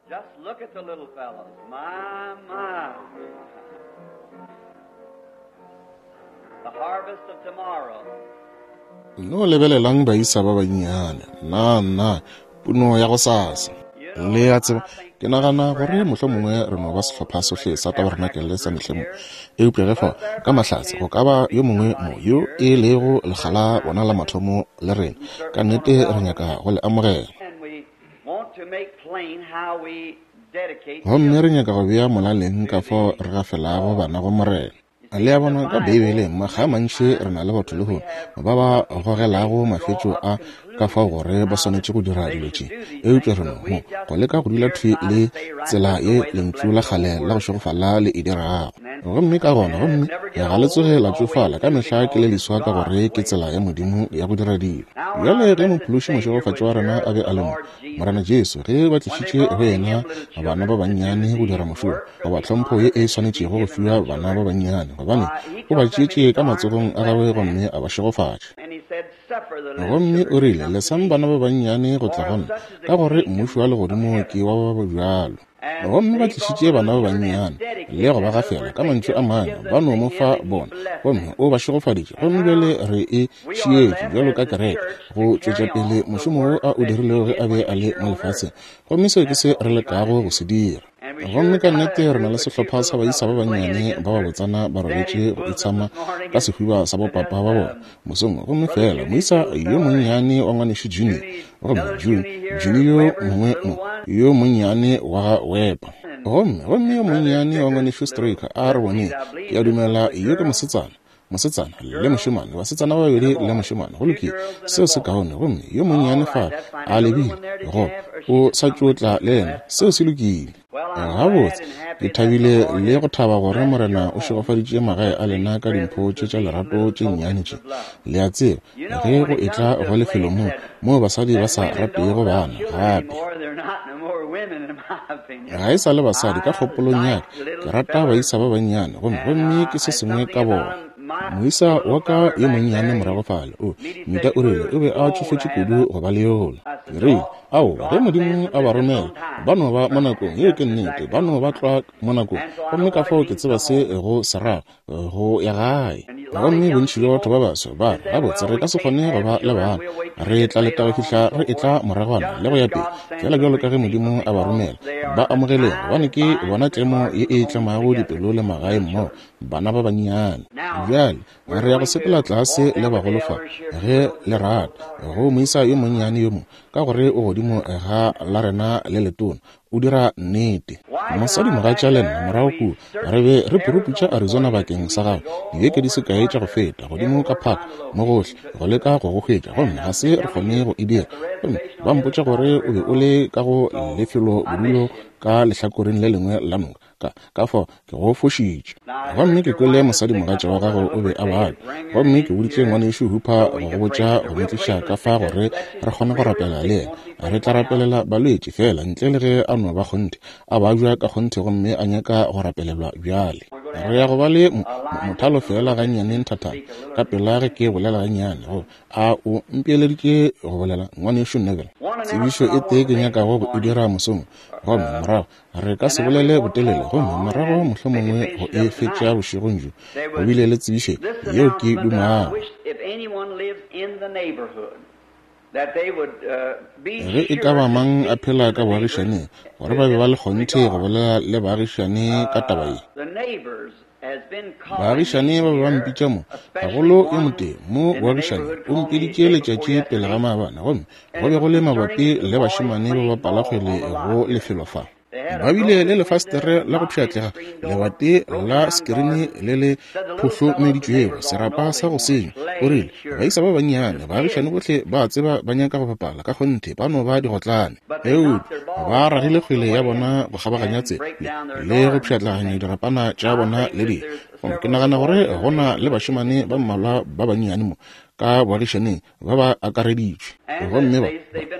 Just look at the little fellows. My, my. The harvest of tomorrow. No lebelelang baisa ba bannyane. Nna, nna, puno ya gosasa. Le a tseba, ke nagana gore mohlomongwe re no ba sehlopha sohle sa tabarenakele sa mehleng mo. Eupša ge fao, ka mahlatse, go ka ba yo mongwe mo yo e lego lekga la bona la mathomo le rena, ka nnete re nyaka go le amogela. Gomme re nyaka go bea molaleng ka fao re gafelago bana go Morena. Le a bona, ka Beibeleng, makga a mantši re na le batho lehono ba ba gogelago mafetšo a ka fao gore ba swanetše go dira dilo tše. Eupša re no mo go leka go dula thwi le tsela ye Lentšu la kgale la go šegofala le e dirago. Gomme ka gona, gomme ga le tsoge la tšofala, ka mehla ke le leswa ka gore ke tsela ya Modimo ya go dira dilo. Bjale ge Mophološi mošegofatši wa rena a be a le mo, Morena Jesu, ge ba tlišitše go yena bana ba bannyane go dira mošomo, goba tlhompho ye e swanetšego go fiwa bana ba bannyane, gobane o ba tšeetše ka matsogong a gagwe gomme a ba šegofatša. Gomme o rile, Lesang bana ba bannyane go tla go nna, ka gore mmušo wa legodimo ke wa ba bjalo. Gomme ba tlišitše bana ba bannyane le go ba gafela, ka mantšu a mangwe, ba no mo fa bona, gomme o ba šegofaditše. Gomme bjale re e šietše bjalo ka kereke go tšwetša pele mošomo wo a o dirilego ge a be a le mo lefaseng. Gomme seo ke se re lekago go se dira. Gomme ka nnete re na le sehlopha sa baisa ba bannyane ba babotsana ba robetše go itshama ka sehuba sa bopapa ba bona mosong, gomme feela moisa yo monnyane wa ngwanešu Junior, gomme June, Junior yo mongwe mo, yo monnyane wa ga Weber, gomme, gomme yo monnyane wa ngwanešu Stricker, a re boneng, ke a dumela yo ke mosetsana, mosetsana le mošemane, basetsana ba babedi le mošemane. Go lokile, seo se kaone. Gomme yo monnyane fa a lebile go, o sa tšo tla le yena, seo se lokile. Gabotse, ke thabile le go thaba gore Morena o šegofaditše magae a lena ka dimpho tše tša lerato tše nnyane tše. Le a tseba, ge go etla go lefelo mo, moo basadi ba sa ratego bana, gape. Ga e sa le basadi, ka kgopolong ya ka, ke rata baisa ba bannyane, gomme, gomme ke se sengwe ka bona. Moisa wa ka yo monnyane morago fale, o, Mita o rile o be a tšofetše kudu go ba le yola. Ke rile, Aowa, ge Modimo a ba romela, ba no ba mo nakong. Yeo ke nnete, ba no ba tlwa mo nakong. Gomme ka fao ke tseba se go se rago, go ya gae. Gomme bontši bja batho ba baso ba re, Gabotse, re ka se kgone go ba le bana. Re tla leta go fihla re etla moragwana, le go ya pele. Feela bjalo ka ge Modimo a ba romela, ba amogeleng, gobane ke bona tlemo ye e tlemago dipelo le magae mmogo, bana ba bannyane. Bjale, Re ya go sepela tlase le bagolo fa, ge le rata, go moisa yo monnyane yo mo, ka gore o godimo ga la rena le letona. O dira nnete. Mosadimogatša le nna, morago kua, re be re puruputša Arizona bakeng sa gago, dibeke di se kae tša go feta, godimo ka park, mo gohle, go leka go go hwetša, gomme ga se re kgone go e dira. Gomme ba mpotša gore o be o le ka go lefelobodulo ka lehlakoreng le lengwe la noka. Ka, ka fao ke go fošitše. Gomme ke kwele mosadimogatša wa gago o be a babja, gomme ke boditše Ngwanešu Hooper go go botša go mo tliša ka fa gore re kgone go rapela le yena. Re tla rapelela balwetši, feela ntle le ge a no ba kgonthe, a babja ka kgonthe gomme a nyaka go rapelelwa bjale. Re ya go ba le mo, mo, mothalo feela gannyane nthathana, ka pela ge ke bolela gannyane, go, A o mpeeleditše go bolela, Ngwanešu Neville? Tsebišo e tee ke nyakago go e dira mosong, gomme morago Re ka se bolele botelele, gomme morago mohlomongwe go e fetša bošegong bjo. Go bile le tsebišo yeo ke dumago. Ge e ka ba mang a phela ka boagišaneng, gore ba be ba le kgonthe go bolela le baagišane ka taba ye. Baagišane ba be ba mpitša mo, gagolo yo motee mo boagišaneng o mpiditše letšatši pele ga maabane, gomme go be go le mabapi le bašemane ba bapala kgwele go lefelo fa. Ba bile le lefastere la go pšhatlega, lebati la sekirini le le phohlomeditšwego, serapa sa go senya. O rile, Baisa ba bannyane, baagišane bohle ba a tseba ba nyaka go bapala, ka kgonthe ba no ba digotlane. Eupša ba ragile kgwele ya bona go kgabaganya tsela le, le go pšhatlaganya dirapana tša bona le dilo. Gomme ke nagana gore go na le bašemane ba mmalwa ba bannyane mo. ka boagišaneng ba ba akareditšwe. Gomme ba,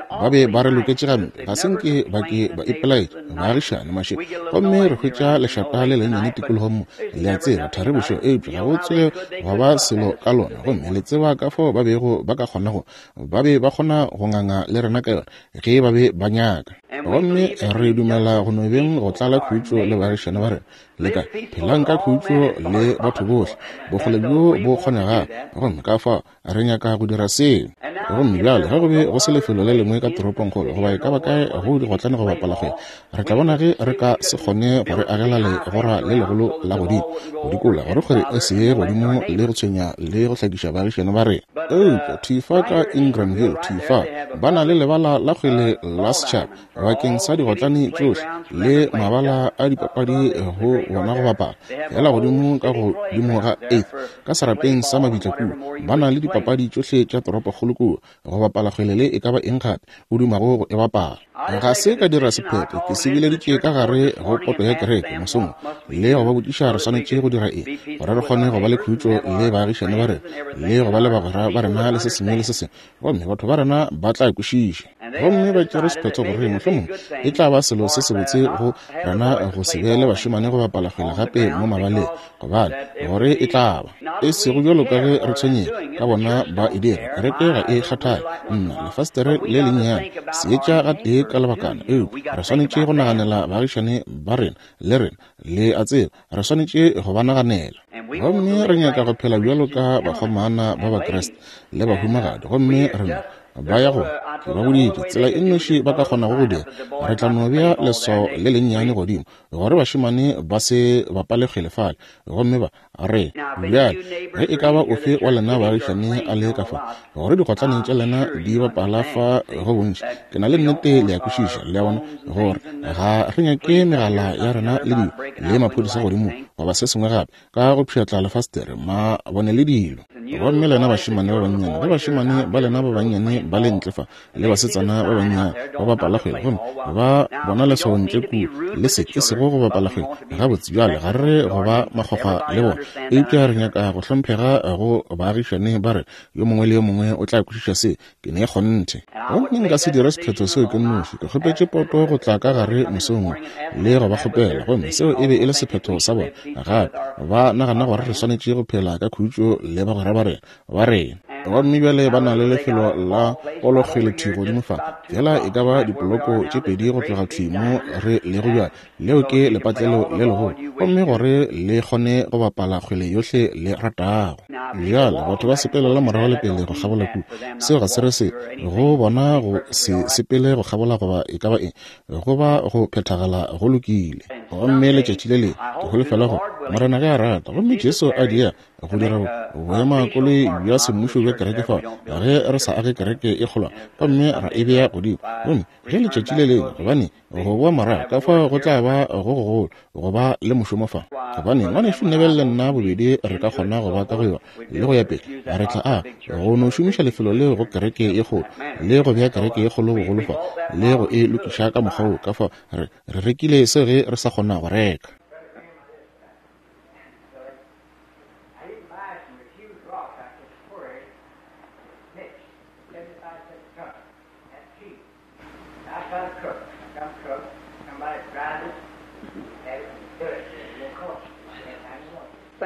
ba be ba re loketše gampe, ga se nke ba ke ba ipelaetša, baagišane mašego. Gomme re hwetša lešata le lennyane tikologong mo, le a tseba, thari bošego, eupša ga go tsoge gwa ba selo ka lona. Gomme le tseba ka fao ba bego ba ka kgona go, ba be ba kgona go nganga le rena ka yona, ge ba be ba nyaka. Gomme re dumela go no beng go tlala khutšo le baagišane ba rena. Le ka phelang ka khutšo le batho bohle, bokgole bjo bo kgonegago. Gomme ka fao re nyaka go dira seo. Gomme bjale ge go be go se lefelo le lengwe ka toropongkgolo goba e ka ba kae go digotlane go bapala kgwele, re tla bona ge re ka se kgone go re agela legora le legolo la godimo go dikola gore kgwele e se ye godimo le go tshwenya le go hlakiša baagišane ba rena. Eupša thwi fa ka Ingramville, thwi fa, ba na le lebala la kgwele la setšhaba bakeng sa digotlane tšohle le mabala a dipapadi go bona go bapala, feela godimo ka godimo ga Eighth ka serapeng sa mabitla kua. Ba na le dipapadi tšohle tša toropokgolo kua, go bapala kgwele le e ka ba eng gape o dumago go e bapala. Ga se ka dira sephetho, ke se bileditše ka gare go poto ya kereke mosong le go ba botšiša re swanetše go dira eng gore re kgone go ba le khutšo le baagišane ba rena le go ba le bagwera ba rena le se sengwe le se sengwe, gomme batho ba rena ba tla kwešiša. Gomme ba tšere sephetho gore mohlomongwe e tla ba selo se sebotse go rena go se be le bašemane go bapala kgwele gape mo mabaleng, gobane gore e tla ba e sego bjalo ka ge re tshwenyega ka bona ba e dira. Kereke ga e kgathale, nna lefastere le lennyane seetša gatee ka lebakana, eupša re swanetše go naganela baagišane ba rena le rena, le a tseba, re swanetše go ba naganela. Gomme re nyaka go phela bjalo ka bakgomana ba Bakriste le bahumagadi, gomme re no ba ya go, ke ba boditše, tsela e nnoši ba ka kgonago go dira, re tla no bea leswao le lennyane godimo gore bašemane ba se bapale kgwele fale. Gomme ba re, Bjale, ge e ka ba ofe wa lena baagišane a le ka fa, gore digotlane tša lena di bapala fa go bontši, ke na le nnete le a kwešiša, le a bona, gore ga re nyake megala ya rena le dilo, le maphodisa godimo, goba se sengwe gape, ka go pšhatla lefastere, mabone le dilo. Gomme lena bašemane ba bannyane, ge bašemane ba lena ba bannyane ba le ntle fa, le basetsana ba bannyane ba bapala kgwele, gomme ba bona leswao ntle kua, le se e sego go bapala kgwele gabotse. Bjale ga re go ba makgwakgwa le bona, eupša re nyaka go hlomphega go baagišane ba rena. Yo mongwe le yo mongwe o tla kwešiša se, ke ne kgonthe. Gomme nka se dire sephetho seo ke nnoši. Ke kgopetše poto go tla ka gare mosong wo le go ba kgopela, gomme seo e be e le sephetho sa bona. Gape ba nagana gore re swanetše go phela ka khutšo le bagwera ba rena, ba rena. Gomme bjale ba na le lefelo la polokgwele thwi godimo fa, feela e ka ba dipoloko tše pedi go tloga thwi mo re lego bjale. Leo ke lepatlelo le legolo, gomme gore le kgone go bapala kgwele yohle le ratago. Bjale batho ba sepelela morago le pele go kgabola kua. Seo ga se re se go bona go se sepele go kgabola goba e ka ba eng, go ba go phethagala go lokile. Gomme letšatši le lengwe, ke holofela gore Morena ge a rata, gomme Jesu a diega go dira boemakoloi bja semmušo bja kereke fa, ge re sa age kereke e kgolwana gomme ra e bea godimo, gomme ge letšatši le lengwe, gobane go boa morago ka fao go tla ba go gogolo go ba le mošomo fa, gobane ngwanešu Neville le nna bobedi re ka kgona go ba ka go yona le go ya pele, re tla a go no šomiša lefelo leo go kereke ye kgolo le go bea kereke ye kgolo bogolo fa le go e lokiša ka mokgwa wo. Ka fao re rekile se ge re sa kgona go reka.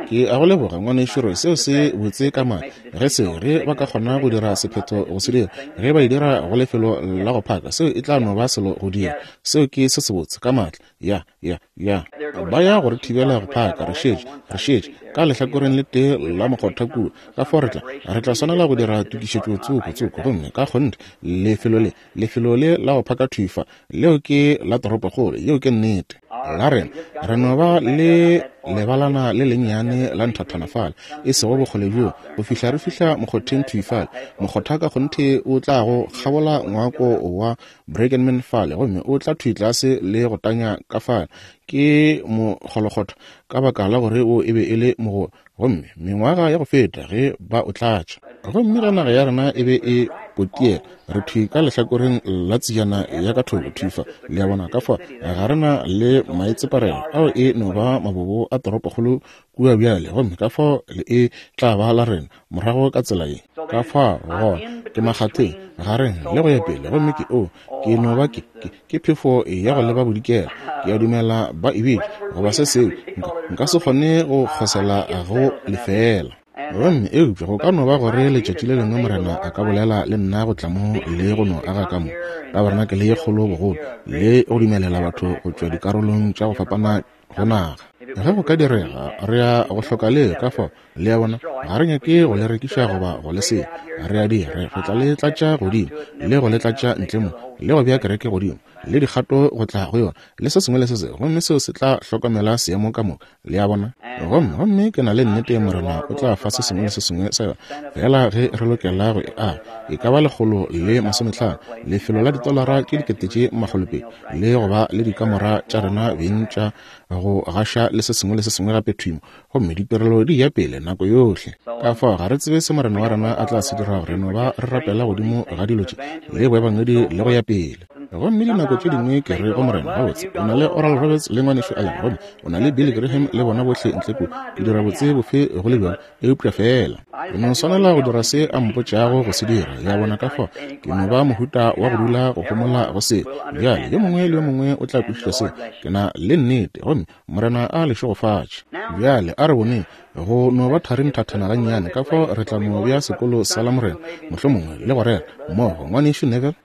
Ke a go leboga, ngwanešu Roy. Seo se botse ka maatla. Ge seo, ge ba ka kgona go dira sephetho go se dira, ge ba e dira go lefelo la go phaka, seo e tla no ba selo go dira. Seo ke se sebotse ka maatla. Ya, ya, ya. Ba ya go re thibela go phaka, re šetše, re šetše ka lehlakoreng le tee la mokgotha kua. Ka fao re tla, re tla swanela go dira tokišetšo tsoko, tsoko. Gomme ka kgonthe, lefelo le, lefelo le la go phaka thwi fa, leo ke la toropokgolo, yeo ke nnete. La rena, re no ba le lebalana le lennyane la nthathana fale, e sego bokgole bjoo, go fihla re fihla mokgotheng thwi fale. Mokgotha ka kgonthe o tla go kgabola ngwako wa Brackenman fale, gomme o tla thwi tlase le go tanya ka fale. Ke mokgolokgotho, ka baka la gore o e be e le mogolo. Gomme mengwaga ya go feta ge ba o tlatša. Gomme ge naga ya rena e be e Potiela. Re thwi ka lehlakoreng la tsejana ya ka thoko, thwi fa. Le a bona? Ka fa ga re na le maitseparelo ao, e no ba mabobo a toropokgolo kua bjale, gomme ka fao le e tla ba la rena morago ka tsela ye. Ka fao gona ke makgatheng, gareng, le go ya pele, gomme ke, oo, ke no ba ke, ke, ke phefo ya go leba bodikela, ke a dumela ba e bitša, goba se sengwe. Nka, nka se kgone go kgosela go lefeela. Gomme, eupša go ka no ba gore letšatši le lengwe Morena a ka bolela le nna go tla mo le go no aga ka mo, tabarenakele ye kgolo bogolo, le go dumelela batho go tšwa dikarolong tša go fapana go naga. Ge go ka direga, re ya go hloka le, ka fao, le a bona, ga re nyake go le rekiša goba go le senya. Re a dira, re, re tla le tlatša godimo, le go le tlatša ntle mo, le go bea kereke godimo, le dikgato go tla go yona, le se sengwe le se sengwe, gomme seo se tla hlokomela seemo ka moka, le a bona. Gomme, gomme ke na le nnete Morena o tla fa se sengwe le se sengwe sa yona, feela ge re lokela go e aga, e ka ba 150, lefelo la ditolara tše 2000, le go ba le dikamora tša rena beng tša go gaša le se sengwe le se sengwe gape thwi mo, gomme ditirelo di ya pele nako yohle. Ka fao ga re tsebe se Morena wa rena a tla se dirago, re no ba re rapela godimo ga dilo tše le boebangedi le go ya pele. Gomme dinako tše dingwe ke re go Morena, Gabotse, o na le Oral Roberts le Ngwanešu Allen, gomme o na le Billy Graham le bona bohle ntle kua, ke dira botse bofe go le bjalo? Eupša feela ke no swanela go dira se a mpotšago go se dira, le a bona. Ka fao ke no ba mohuta wa go dula go homola go se. Bjale yo mongwe le yo mongwe o tla kwešiša se, ke na le nnete. Gomme Morena a le šegofatše. Bjale a re boneng go no ba thari nthathana gannyane, ka fao re tla no bea sekolo sa Lamorena mohlomongwe le go rera mmogo, Ngwanešu Neville.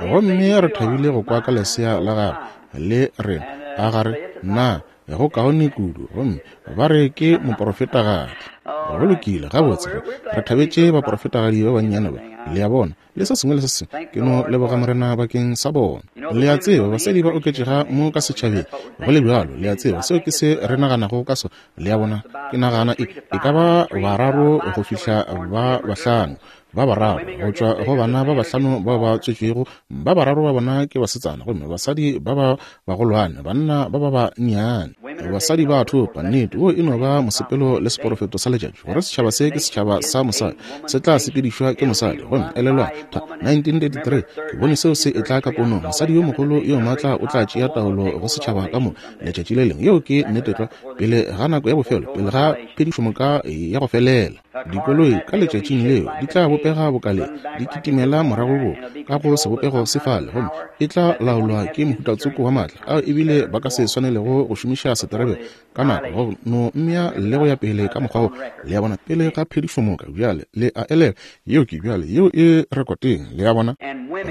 Gomme re thabile go kwa ka lesea la gagwe le rena, a ga re na go kaone kudu, gomme ba re ke moprofetagadi. Go lokile, gabotse, re thabetše baprofetagadi ba bannyane ba, le a bona, le se sengwe le se sengwe. Ke no leboga Morena bakeng sa bona. Le a tseba, basadi ba oketšega mo ka setšhabeng, go le bjalo, le a tseba, seo ke se re naganago ka sona, le a bona. Ke nagana e, e ka ba bararo go fihla ba bahlano, ba bararo go tšwa go bana ba bahlano bao ba tswetšwego, ba bararo ba bona ke basetsana, gomme basadi ba ba bagolwane, banna ba ba bannyane. Basadi ba thopa. Nnete, wo e no ba mosepelo le seporofeto sa letšatši, gore setšhaba se ke setšhaba sa mosadi, se tla sepedišwa ke mosadi. Gomme elelwang, 1933, ke bone seo se etla ka ponong, mosadi yo mogolo yo maatla o tla tšea taolo go setšhaba ka moka letšatši le lengwe. Yeo ke nnete tlwa, pele ga nako ya bofelo, pele ga phedišomoka ya go felela. Dikoloi ka letšatšing leo di tla bopega boka le, di kitimela morago bo ka go sebopego se fale, gomme e tla laolwa ke mohutatsoko wa maatla ao ebile ba ka se swanelego go šomiša seterebe ka nako go no mmea le go ya pele ka mokgwa wo. Le a bona, pele ga phedišomoka. Bjale le a elelwa, yeo ke bjale, yeo e rekoteng, le a bona.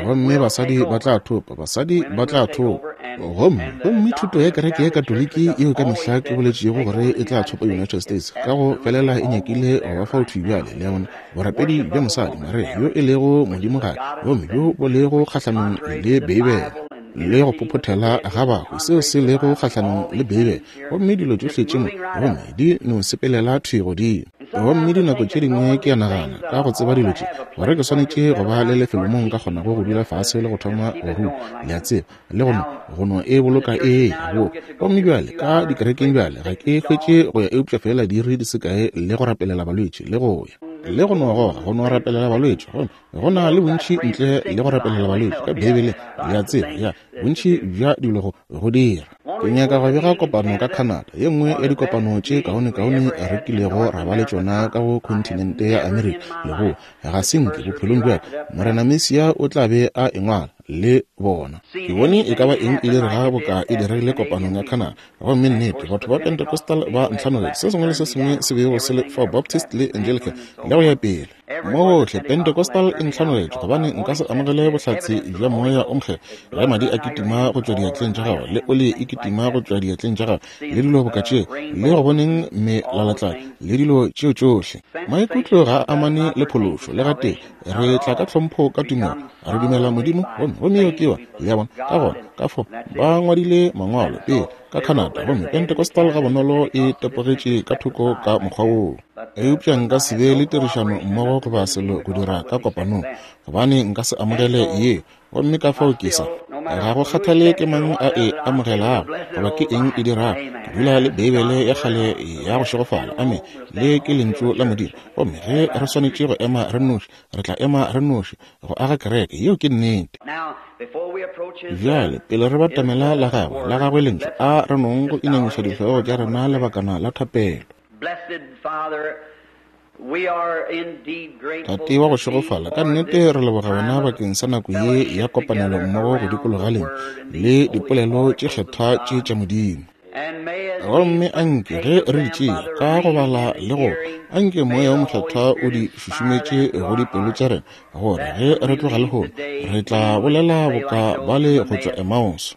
Gomme basadi ba tla thopa, basadi ba tla thopa. Gomme, gomme thuto ya kereke ya Katoliki yeo ka mehla ke boletšego gore e tla thopa United States, ka go felela e nyakile go ba fao thwi bjale, le a bona, borapedi bja mosadi, Maria, yo e lego modimogadi, gomme bjo bo lego kgahlanong le Beibele, le go phophothela ga bahu, seo se lego kgahlanong le Beibele, gomme dilo tšohle tše mo, gomme di no sepelela thwi godimo. Gomme dinako tše dingwe ke a nagana, ka go tseba dilo tše, gore ke swanetše go ba le lefelo moo nka kgonago go dula fase le go thoma go ruta, le a tseba, le go no, go no e boloka e eya boka. Gomme bjale, ka dikerekeng bjale, ga ke hwetše go ya eupša feela diiri di se kae le go rapelela balwetši, le go ya. Le go no goga, go no rapelela balwetši. Gomme go na le bontši ntle le go rapelela balwetši ka Beibeleng, le a tseba, ya, bontši bja dilo go, go dira. Ke nyaka go bega kopano ka Canada, ye nngwe ya dikopano tše kaonekaone re kilego ra ba le tšona ka go khonthinente ya Amerika, le go ga se nke bophelong bja ka Morena Mesia o tla be a e ngwala le bona. Ke bone e ka ba eng e direga boka e diregile kopanong ya Canada. Gomme nnete, batho ba Pentecostal ba ntlhanogetše, se sengwe le se sengwe se bego se le fao, Baptist le Anglican, le go ya pele. Mo gohle, Pentecostal e ntlhanogetše, gobane nka se amogele bohlatse bja Moya o Mokgethwa ge madi a kitima go tšwa diatleng tša gago, le oli e kitima go tšwa diatleng tša gago, le dilo boka tšeo, le go boneng melalatladi, le dilo tšeo tšohle. Maikutlo ga a amane le phološo, le gatee. Re tla ka tlhompho ka tumelo, re dumela Modimo, gomme, gomme yeo ke yona, le a bona. Ka gona, ka fao, ba ngwadile mangwalo pele, ka Canada, gomme Pentecostal gabonolo e tepogetše ka thoko ka mokgwa woo. Eupša nka se be le tirišano mmogo goba selo go dira ka kopanong, gobane nka se amogele yeo. Gomme ka fao ke sa. Ga go kgathale ke mang a e amogelago goba ke eng e dirago, ke dula le Beibele ya kgale ya go šegofala. Amene. Le ke Lentšu la Modimo. Gomme ge re swanetše go ema re nnoši, re tla ema re nnoši go aga kereke. Yeo ke nnete. Bjale, pele re batamela la Gagwe, la Gagwe Lentšu, a re nong go inamiša dihlogo tša rena lebakana la thapelo. Tate wa go šegofala, ka nnete re leboga Wena bakeng sa nako ye ya kopanelo mmogo go dikologa Lentšu le dipolelo tše kgethwa tše tša Modimo. Gomme anke ge re di tšea ka go bala le go kwa, anke Moya wo Mokgethwa o di šušumetše go dipelo tša rena, gore ge re tloga lehono re tla bolela boka bale go tšwa Emmaus.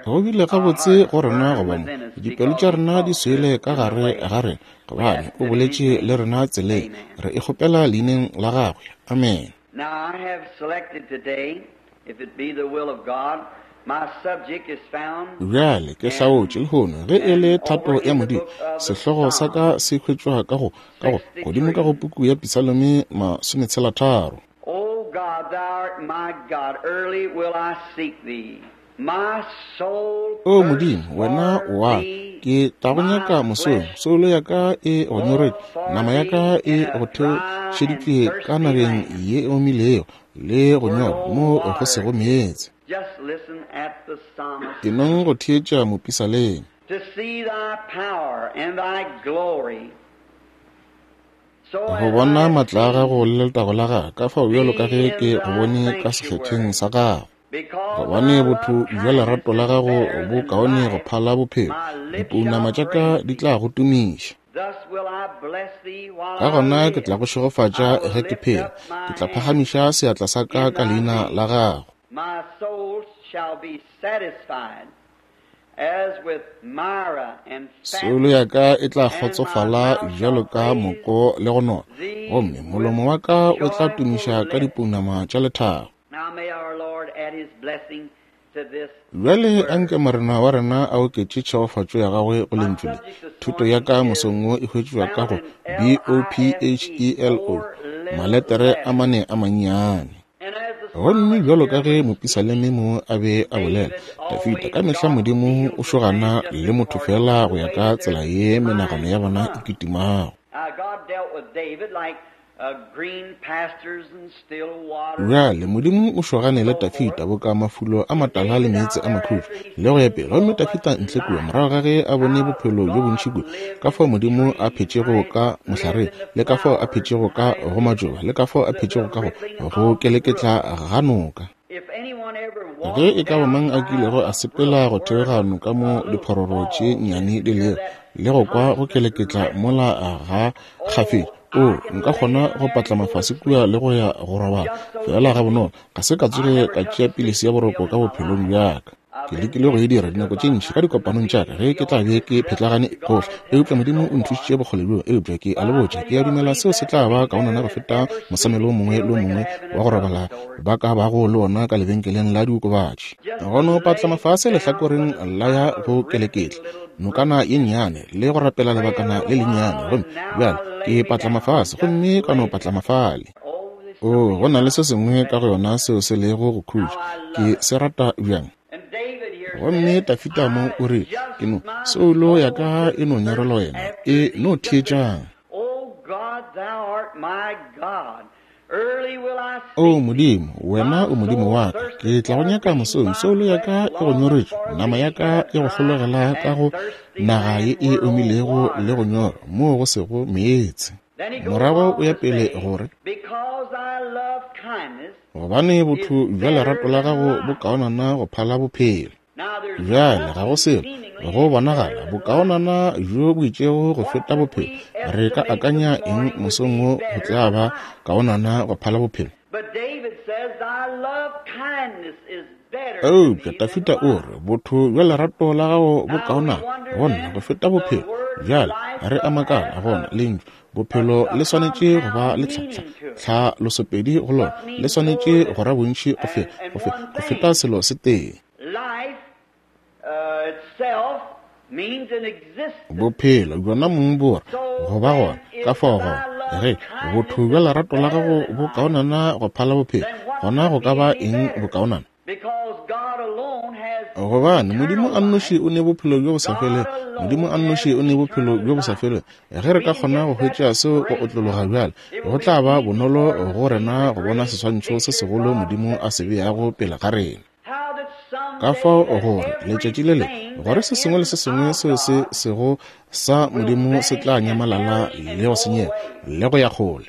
Go bile gabotse go rena go ba mo. Dipelo tša rena di swele ka gare ga rena, gobane o boletše le rena tseleng. Re e kgopela leineng la Gagwe. Amene. Bjale ke hlaotše lehono, ge e le thato ya Modimo, sehlogo sa ka se hwetšwa ka go, ka go, godimo ka go puku ya Pisalome 63. O God, thou art my God, early will I seek thee. My soul O thirsts Modimo, wena for o wa ka, thee, ke tla go my nyaka mosong. flesh Soulo ya ka e go nyoretše, for nama ya ka thee e in a go dry and theošeditšwe ka thirsty nageng land ye e omilego le go where nyorwa no mo go water sego is. meetse. Just listen at the psalmist. Enong go theetša mopisalema. To see thy power and thy glory, so Go as I bona have matla a gago seen le letago la gago, ka fao bjalo ka thee ge in ke go thy bone ka sekgethweng sanctuary. sa gago. Because Gobane thy botho love bja kindness lerato la is gago better bo than kaone go life, phala bophelo, my lips dipounama shall tša ka praise di thee. tla go tumiša. Thus will I bless thee while Ka I gona ke live. tla go šegofatša I will ge ke lift phela, up ke my tla hands phagamiša seatla sa ka in ka thy leina name. la gago. My soul shall be satisfied as with myrrh and Soulo ya fatness, ka e tla and my kgotsofala mouth shall bjalo ka praise moko le go nona, thee gomme with molomo wa ka o tla joyful tumiša ka lips. dipounama tša lethabo. Now may our Lord add his blessing to this Bjale anke word. Morena wa rena a oketše tšhegofatšo ya gagwe go My lentšu le. subject this Thuto ya morning ka is mosong wo e hwetšwa ka found go in B O P L I F H E, E L O, four little maletere a letters. mane a mannyane. And as the Gomme psalmist bjalo ka here ge was mopisaleme speaking, mo a be a bolela, David Dafida, always ka mehla God Modimo deals o with man šogana just le motho according fela to go the ya way ka that their tsela ye menagano minds ya bona e run. kitimago. Now God dealt with David like green pastures and still waters Bjale Modimo o šogane and le so Dafida forth. boka mafulo a matala le David meetse out a there makhutšo after he le go ya seen pele. Gomme so much Dafida ntle kua life, morago ga ge a bone how bophelo bjo God bontši kua, lived ka in fao the Modimo a trees and phetšego how he ka lived mohlareng, in the le ka fao a flowers phetšego and ka how he go lived matšoba, le ka fao a the, phetšego the ka go rippling go of the keleketla brook. ga noka. If anyone ever Ge walked e ka ba down mang a by kilego a a sepela brook go where theoga noka a mo little diphororo tše falls is nnyane di and hear lego, that le go kwa go constant keleketla ripple, mola ga kgafetša, oh, o I can nka lay kgona down go there and patlama go to fase kua sleep le go ya go robala just so fela easy. gabonolo. Ga se ka I tsoge never ka took tšea a pilisi ya sleeping boroko pill ka in my bophelong life. bja ka. I've Ke been lekile go e tempted dira to dinako tše about ntši ka times in my dikopanong tša ka meetings ge at ke the tla be altar ke and phetlagane stuff. God gohle, has helped eupša me Modimo so o nthušitše far. bokgole bjo. Eupša ke a But le I botša, tell ke you, a I dumela believe seo se that tla would ba be kaonana better go than feta every mosamelo o sleeping mongwe pill le o they could mongwe have in wa a go robala drugstore. ba ka bago le ona ka lebenkeleng la diokobatši. Just Go to no patlama lay fase down by lehlakoreng the la ya side of a go rippling keleketla little nokana brook. ye nnyane le go rapela Pray a lebakana little le lennyane, while, gomme and now bjale I lay ke me patlama down. fase Just gomme ka no lay patlama down. fale. Oh, there's O something go na le about se sengwe ka that. go yona seo se lego go How khutša. I Ke love it. se rata bjang. And David here Gomme said, Dafida mo I o re, just ke no my soulo ya soul ka doth e no nyorelwa thirst wena, after e thee. no Just listen. theetšang. Oh God, thou art my God. Early will I O seek thee. Modimo, wena My o Modimo soul wa ka, thirsteth ke tla go for nyaka thee, mosong. my Soulo ya flesh ka e go longeth nyoretšwe, for nama ya thee in ka a e go dry hlologela ka and go thirsty naga ye land e where no omilego le water go is. nyorwa, moo go sego meetse. Then he goes Morago o on ya to pele say, gore, Because I love kindness gobane is botho bja better lerato la than gago bo life. kaonana go phala bophelo. Now there's Bjale ga go nothing selo seemingly go better bonagala than life. bokaonana bjo bo itšego go What feta could bophelo. we Re ka estimate this akanya eng morning would mosong be wo go better tla than ba life? kaonana go phala bophelo? But David says, Thy love kindness is better to Eupša me than Dafida o life. re botho bja lerato la gago bo Now we kaonana wonder go nna then go feta the bophelo. word Bjale life re a doth makala have gona a, lentšu a, bophelo a le swanetše go ba compound le meaning to it. tlhalosopedi go lona, What le means more swanetše than go ra bontši go and, and one go feta thing? selo se tee. Life itself means an existence. Bophelo bjona mong bo re So go ba then, gona ka if fao thy gona love ge kindness botho bja is lerato la better gago than bo life, kaonana go phala bophelo, then what Gona go ka ba eng bokaonana? Gobane Modimo a nnoši o ne bophelo bjo bo sa felego. Modimo a nnoši o ne bophelo bjo bo sa felego. Ge re ka kgona go hwetša seo go otlologa bjale, go tla ba bonolo go rena go bona seswantšho se segolo Modimo a se beago pele ga rena. Ka fao gore letšatši le le gore se sengwe le se sengwe seo se sego sa Modimo se tla nyamalala le go senyega le go ya kgole.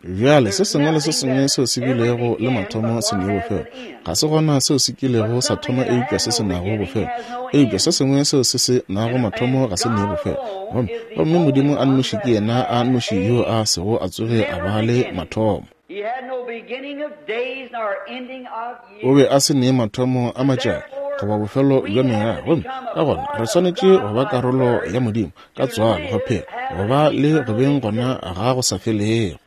Bjale se sengwe le se sengwe seo se bilego le mathomo se ne bofelo. Ga se gona seo se kilego sa thoma eupša se se nago bofelo. Eupša se sengwe seo se se nago mathomo ga se ne bofelo. Gomme, gomme Modimo a nnoši ke yena a nnoši yo a sego a tsoge a ba le mathomo. O be a se ne mathomo a matšatši goba bofelo bja mengwaga, gomme ka gona re swanetše go ba karolo ya Modimo ka tswalo, go phela, go ba le go beng gona ga go sa felego.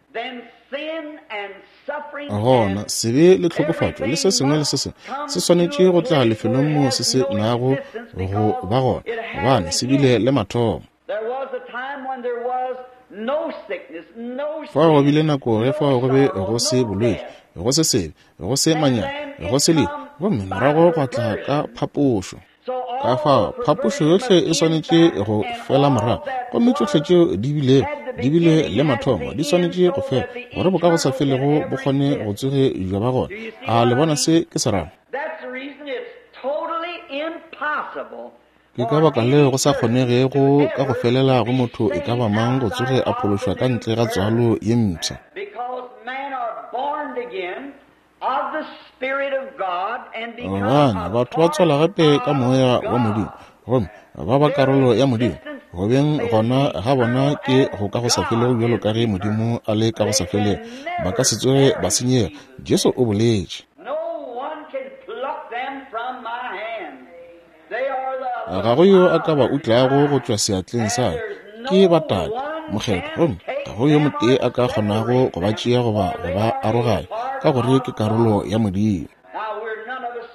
Gona sebe le tlhokofatšo le se sengwe le se sengwe se swanetše go tla lefelong moo se se nago go ba gona, gobane se bile le mathomo. Fao go bile nako ge fao go be go se bolwetši, go se sebe, go se manyami, go se lehu, gomme morago gwa tla ka phapošo. Ka fao phapošo yohle e swanetše go fela morago, gomme tšohle tšeo di bilego di bile le mathomo di swanetše go fela, gore bo ka go sa felego bo kgone go tsoge bja ba gona. A le bona se ke se rago? Ke ka baka leo go sa kgonegego ka go felela go motho e ka ba mang go tsoge a phološwa ka ntle ga tswalo ye mpsha. Gobane batho ba tswalwa gape ka Moya wa Modimo, gomme ba ba karolo ya Modimo. Go beng gona ga bona ke go ka go sa felego bjalo ka ge Modimo a le ka go sa felego. Ba ka se tsoge ba senyega, Jesu o boletše. Ga go yo a ka ba utlago go tšwa seatleng sa ka. Ke ba Tate Mokgethwa, gomme ga go yo motee a ka kgonago go ba tšea goba go ba aroganya, ka gore ke karolo ya Modimo.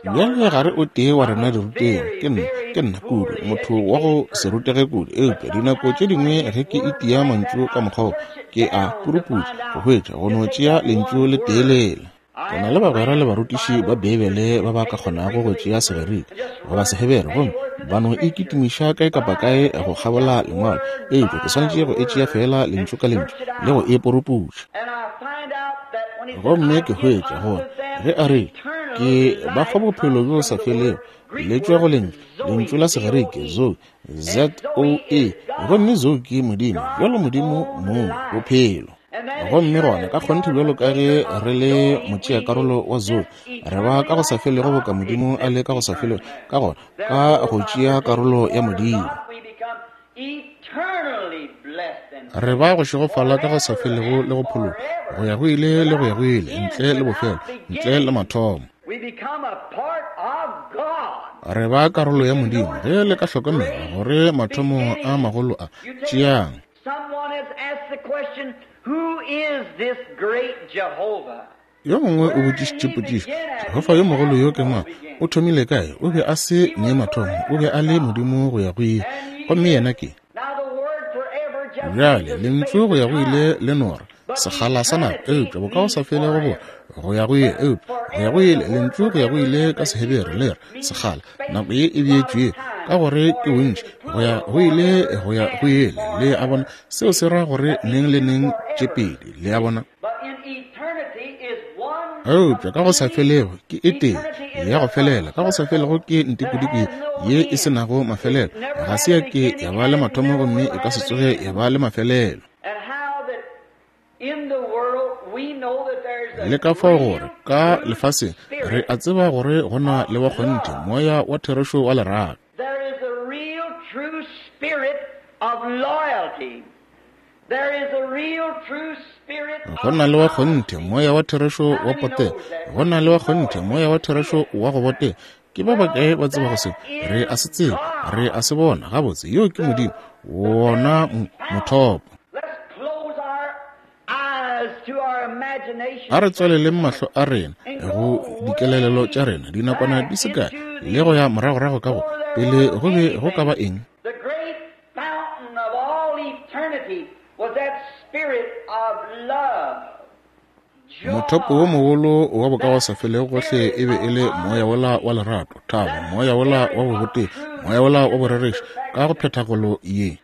Bjale ga re o tee wa rena dirutegi, ke nna, ke nna kudu, motho wa go se rutege kudu, eupša dinako tše dingwe ge ke itia mantšu ka mokgwa wo, ke a puruputša go hwetša, go no tšea lentšu le tee lela. Ke na le bagwera le barutiši ba Beibele ba ba ka kgonago go tšea Segerika goba Sehebere gomme ba no e kitimiša kae kapa kae go kgabola Lengwalo, eupša ke swanetše go e tšea feela lentšu ka lentšu le go e poroputša. Gomme ke hwetša gore ge a re, Ke ba fa bophelo bjo sa felego, le tšwa go lentšu, lentšu la Segerike, zoe, Z-O-E, gomme zoe ke Modimo, bjalo Modimo mong, bophelo. Gomme gona ka kgonthe bjalo ka ge re le motšeakarolo wa Zoe, re ba ka go sa felego boka Modimo a le ka go sa felego, ka gona ka go tšea karolo ya Modimo, re ba go šegofala ka go sa felego le go phologa go ya go ile le go ya go ile, ntle le bofelo, ntle le mathomo. Re ba karolo ya Modimo ge le ka hlokomela gore mathomo a magolo a tšeang. Someone has asked the question, Who is this great Jehovah? Yo mongwe o botšišitše potšišo, Jehofa yo mogolo yo ke mang? O thomile kae? O be a se ne mathomo, o be a le Modimo go ya go ile. Gomme yena ke. Bjale, lentšu go ya go ile le nora, sekgala sa nako, eupša bokagosafelego bo go ya go ile, eupša go ya go ile, lentšu go ya go ile ka Sehebere le re sekgala, nako ye e beetšwego, ka gore ke bontši, go ya go ile, go ya go ile. Le a bona, seo se ra gore neng le neng tše pedi, le a bona. Eupša ka go sa felego ke e tee ya go felela, ka go sa felego ke ntikodiko ye e se nago mafelelo, ga se ya ke ya ba le mathomo gomme e ka se tsoge ya ba le mafelelo. Le ka fao gore ka lefaseng re a tseba gore go na le wa kgonthe moya wa therešo wa lerato. Go na le wa kgonthe moya wa therešo wa potego. Go na le wa kgonthe moya wa therešo wa go botega. Ke ba bakae ba tsebago se? Re a se tseba, re a se bona. Gabotse, yo ke Modimo, wona mothopo. A re tswaleleng mahlo a rena go dikelelelo tša rena dinakwana di se kae le go ya moragorago ka go pele go be go ka ba eng. Mothopo wo mogolo wa bokagosafelego gohle e be e le moya wola wa lerato, thabo, moya wola wa bobotee, moya wola wa borerešo ka go phethagolo ye.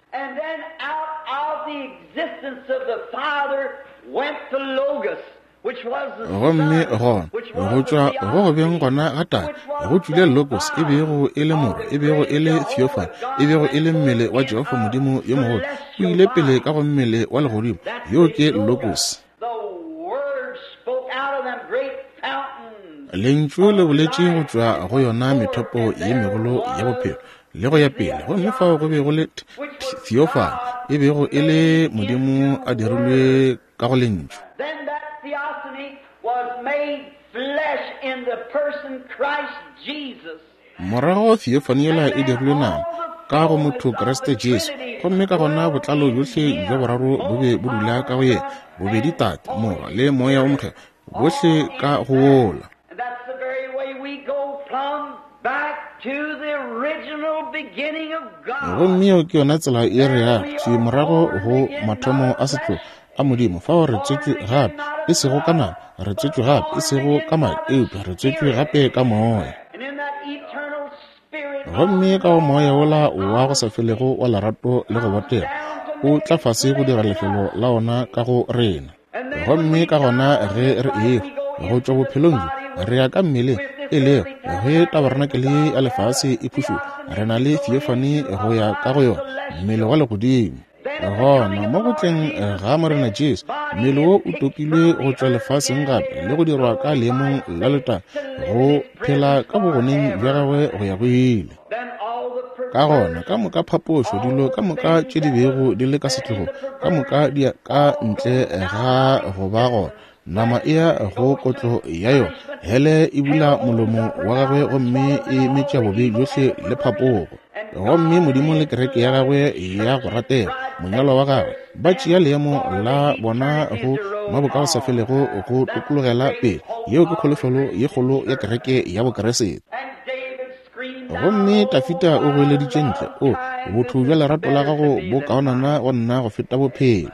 Gomme gona, go tšwa go go beng gona ga Tate, go tšwile Logos, e bego e le Morwa, e bego e le Theophany, e bego e le mmele wa Jehofa Modimo yo mogolo, o ile pele ka go mmele wa legodimo. Yo ke Logos. Lentšu le boletše go tšwa go yona methopo ye megolo ya bophelo le go ya pele, gomme fao go be go le Theophany, e bego e le Modimo a dirilwe ka go Lentšu. Morago theophany yela e dirilwe nama ka go motho Kriste Jesu, gomme ka gona botlalo bjohle bja boraro bo be bo dula ka go yena, bobedi Tate, Morwa, le Moya wo Mokgethwa, bohle ka go wola. Gomme yeo ke yona tsela ye re yago thwi morago go mathomo a setlogo a Modimo, fao re tswetšwe gape, e sego ka nama, re tswetšwe gape, e sego ka madi, eupša re tswetšwe gape ka Moya. Gomme ka go Moya wola wa go sa felego wa lerato le go botega, o tla fase go dira lefelo la ona ka go rena. Gomme ka gona ge re ehwa go tšwa bophelong bjo, re ya ka mmeleng, e lego ge tabarenakele ya lefase e phušoga, re na le theophany go ya ka go yona, mmele wa legodimo. Gona mo go tleng ga Morena Jesu, mmele wo o topilwe go tšwa lefaseng gape le go dirwa ka leemong la letago, go phela ka bogoneng bja gagwe go ya go ile. Ka gona ka moka phapošo, dilo ka moka tše di bego di le ka setlogong, ka moka di ya ka ntle ga go ba gona. Nama e ya go kotlo ya yona, hele e bula molomo wa gagwe gomme e metša bobe bjohle le phapogo. Gomme Modimo le kereke ya gagwe ya go ratega, monyalwa wa gagwe, ba tšea leemo la bona go mabokagosafelego go tokologela pele. Yeo ke kholofelo ye kgolo ya kereke ya Bokeresete. Gomme Dafida o goeleditše ntle, O, botho bja lerato la gago bo kaonana go nna go feta bophelo.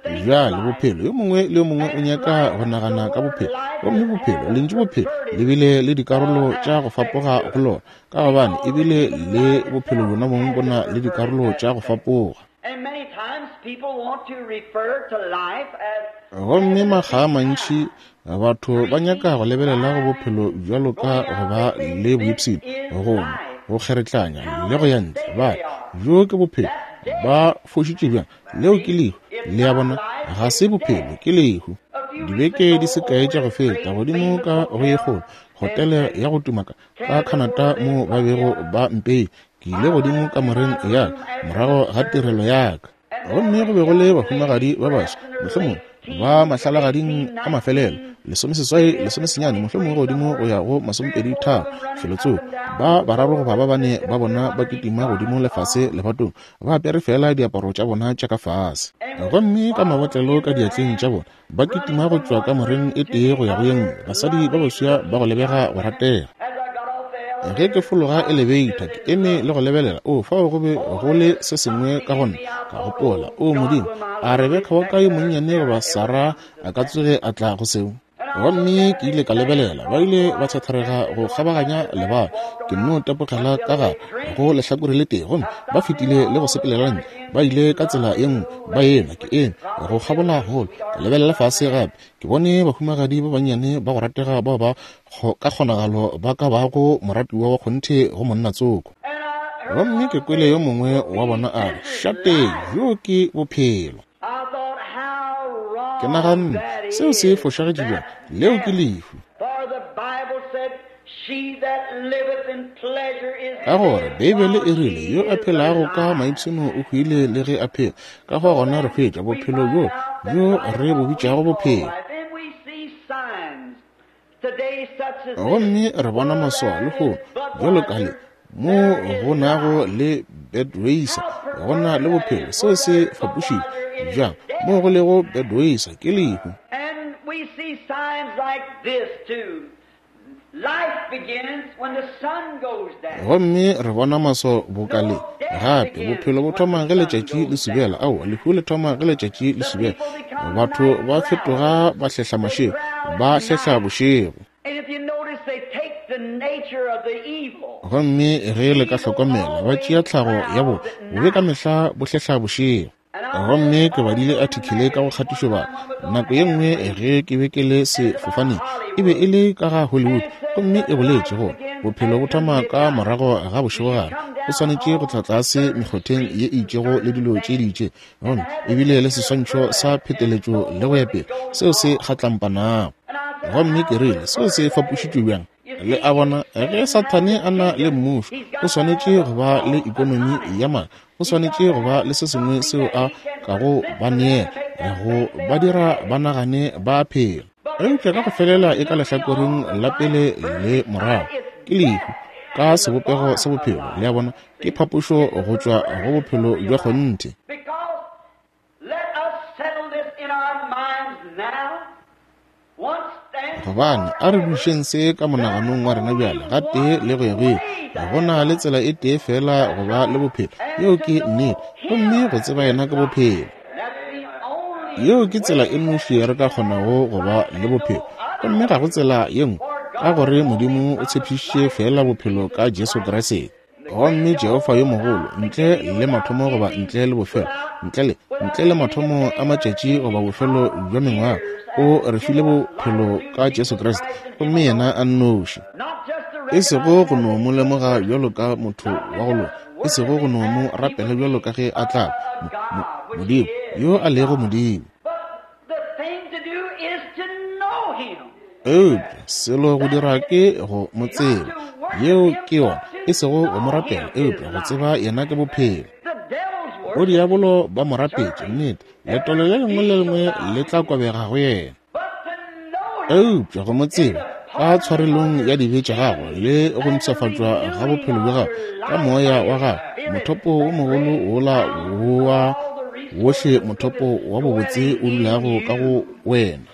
Bjale bophelo, yo mongwe le yo mongwe o nyaka go nagana ka bophelo. Gomme bophelo, lentšu bophelo, le bile le dikarolo tša go fapoga go lona, ka gobane ebile le bophelo bjona bong bo na le dikarolo tša go fapoga. Gomme makga a mantši batho ba nyaka go lebelela go bophelo bjalo ka go ba le boipshino, go nwa, go kgeretlanya le go ya ntle. Ba re, Bjo ke bophelo. Ba fošitše bjang? Leo ke lehu. Le a bona? Ga se bophelo, ke lehu. Dibeke di se kae tša go feta, godimo ka go ye kgolo, hotele ya go tuma ka, ka Canada moo ba bego ba mpeile, ke ile godimo kamoreng ya ka morago ga tirelo ya ka. Gomme go be go le bahumagadi ba baswa, mohlomongwe ba mahlalagading a mafelelo, lesomeseswai, lesomesenyane, mohlomongwe godimo go ya go masomepedi-tharo, felotsoko. Ba bararo goba ba bane ba bona ba kitima godimo le fase lebatong, ba apere feela diaparo tša bona tša ka fase. Gomme ka mabotlelo ka diatleng tša bona, ba kitima go tšwa kamoreng e tee go ya go ye nngwe, basadi ba baswa ba go lebega go ratega. Ge ke fologa elebeitha, ke eme le go lebelela, o, fao go be go le se sengwe ka go nna. Ka gopola, O Modimo, a Rebeka wa ka yo monnyane goba Sarah a ka tsoge a tla go seo? Gomme ke ile ka lebelela, ba ile ba thatharega go kgabaganya lebala. Ke nno tepogela ka gare go lehlakore le tee, gomme ba fetile le go sepelela ntle. Ba ile ka tsela ye nngwe, ba enwa, ke eme go kgabola holo, ka lebelela fase gape. Ke bone bahumagadi ba bannyane ba go ratega bao ba ka kgonagalo ba ka bago moratiwa wa kgonthe go monna tsoko. Gomme ke kwele yo mongwe wa bona a re, Šate, bjo ke bophelo. Ke naganne, Seo se fošagetše bjang? Leo ke lehu. Ka gore Beibele e rile, Yo a phelago ka maipshino o hwile le ge a phela. Ka fao gona re hwetša bophelo bjo bjo re bo bitšago bophelo. Gomme re bona maswao lehono, bjalo ka le, mo go nago le Budweiser, go na le bophelo. Seo se fapošitše bjang? Mo go lego Budweiser, ke lehu. Gomme re bona maso boka le. Gape, bophelo bo thoma ge letšatši le subela. Aowa, lehu le thoma ge letšatši le subela. Batho ba fetoga ba hlehla mašego, ba hlehla bošego. Gomme ge le ka hlokomela, ba tšea tlhago ya bo, bobe ka mehla bo hlehla bošego. Gomme ke badile athikele ka go kgatišobaka nako ye nngwe ge ke be ke le sefofaneng, e be e le ka ga Hollywood, gomme e boletše gore bophelo bo thoma ka morago ga bošegogare, o swanetše go tla tlase mekgotheng ye e itšego le dilo tše di itšego, gomme ebile le seswantšho sa pheteletšo le go ya pele, seo se kgatlampanago. Gomme ke rile, seo se fapošitšwe bjang? Le a bona, ge Sathane a na le mmušo, o swanetše go ba le ekonomi ya maaka, o swanetše go ba le se sengwe seo a kago ba neela, go ba dira ba nagane ba a phela. Eupša ka go felela e ka lehlakoreng la pele le morago, ke lehu ka sebopego sa bophelo. Le a bona, ke phapošo go tšwa go bophelo bja kgonthe. Gobane a re dušeng se ka monaganong wa rena bjale, gatee le go ya go ile. Go na le tsela e tee feela go ba le bophelo, yeo ke nnete, gomme go tseba yena ke bophelo. Yeo ke tsela e nnoši re ka kgonago go ba le bophelo, gomme ga go tsela ye nngwe, ka gore Modimo o tshepišitše feela bophelo ka Jesu Kriste. Gomme Jehofa yo mogolo, ntle le mathomo goba ntle le bofelo, ntle le, ntle le mathomo a matšatši goba bofelo bja mengwaga, o re file bophelo ka Jesu Kriste, gomme yena a nnoši. E sego go no mo lemoga bjalo ka motho wa go loka, e sego go no mo rapela bjalo ka ge a tla mo, mo, Modimo, yo a lego Modimo. Eupša selo go dira ke go mo tseba. Yeo ke yona, e sego go mo rapela, eupša go tseba yena ke bophelo. Bodiabolo ba mo rapetše, nnete, letolo le lengwe le lengwe le tla kobega go yena. Eupša go mo tseba ka tshwarelong ya dibe tša gagwe le go mpshafatšwa ga bophelo bja gagwe ka moya wa gagwe, mothopo wo mogolo wola wa wohle, mothopo wa bobotse o dulago ka go wena.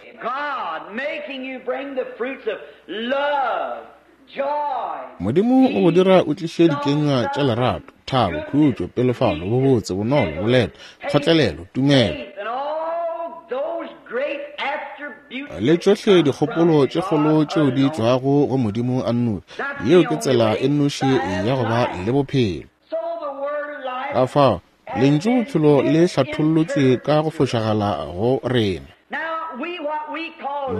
Modimo o go dira o tliše dikenywa tša lerato, thabo, khutšo, pelofalo, bobotse, bonolo, boleta, kgotlelelo, tumelo, le tšohle dikgopolo tše kgolo tšeo di tšwago go Modimo a nnoši. Yeo ke tsela e nnoši ya go ba le bophelo. Ka fao, lentšu bophelo le hlathollotšwe ka go fošagala go rena.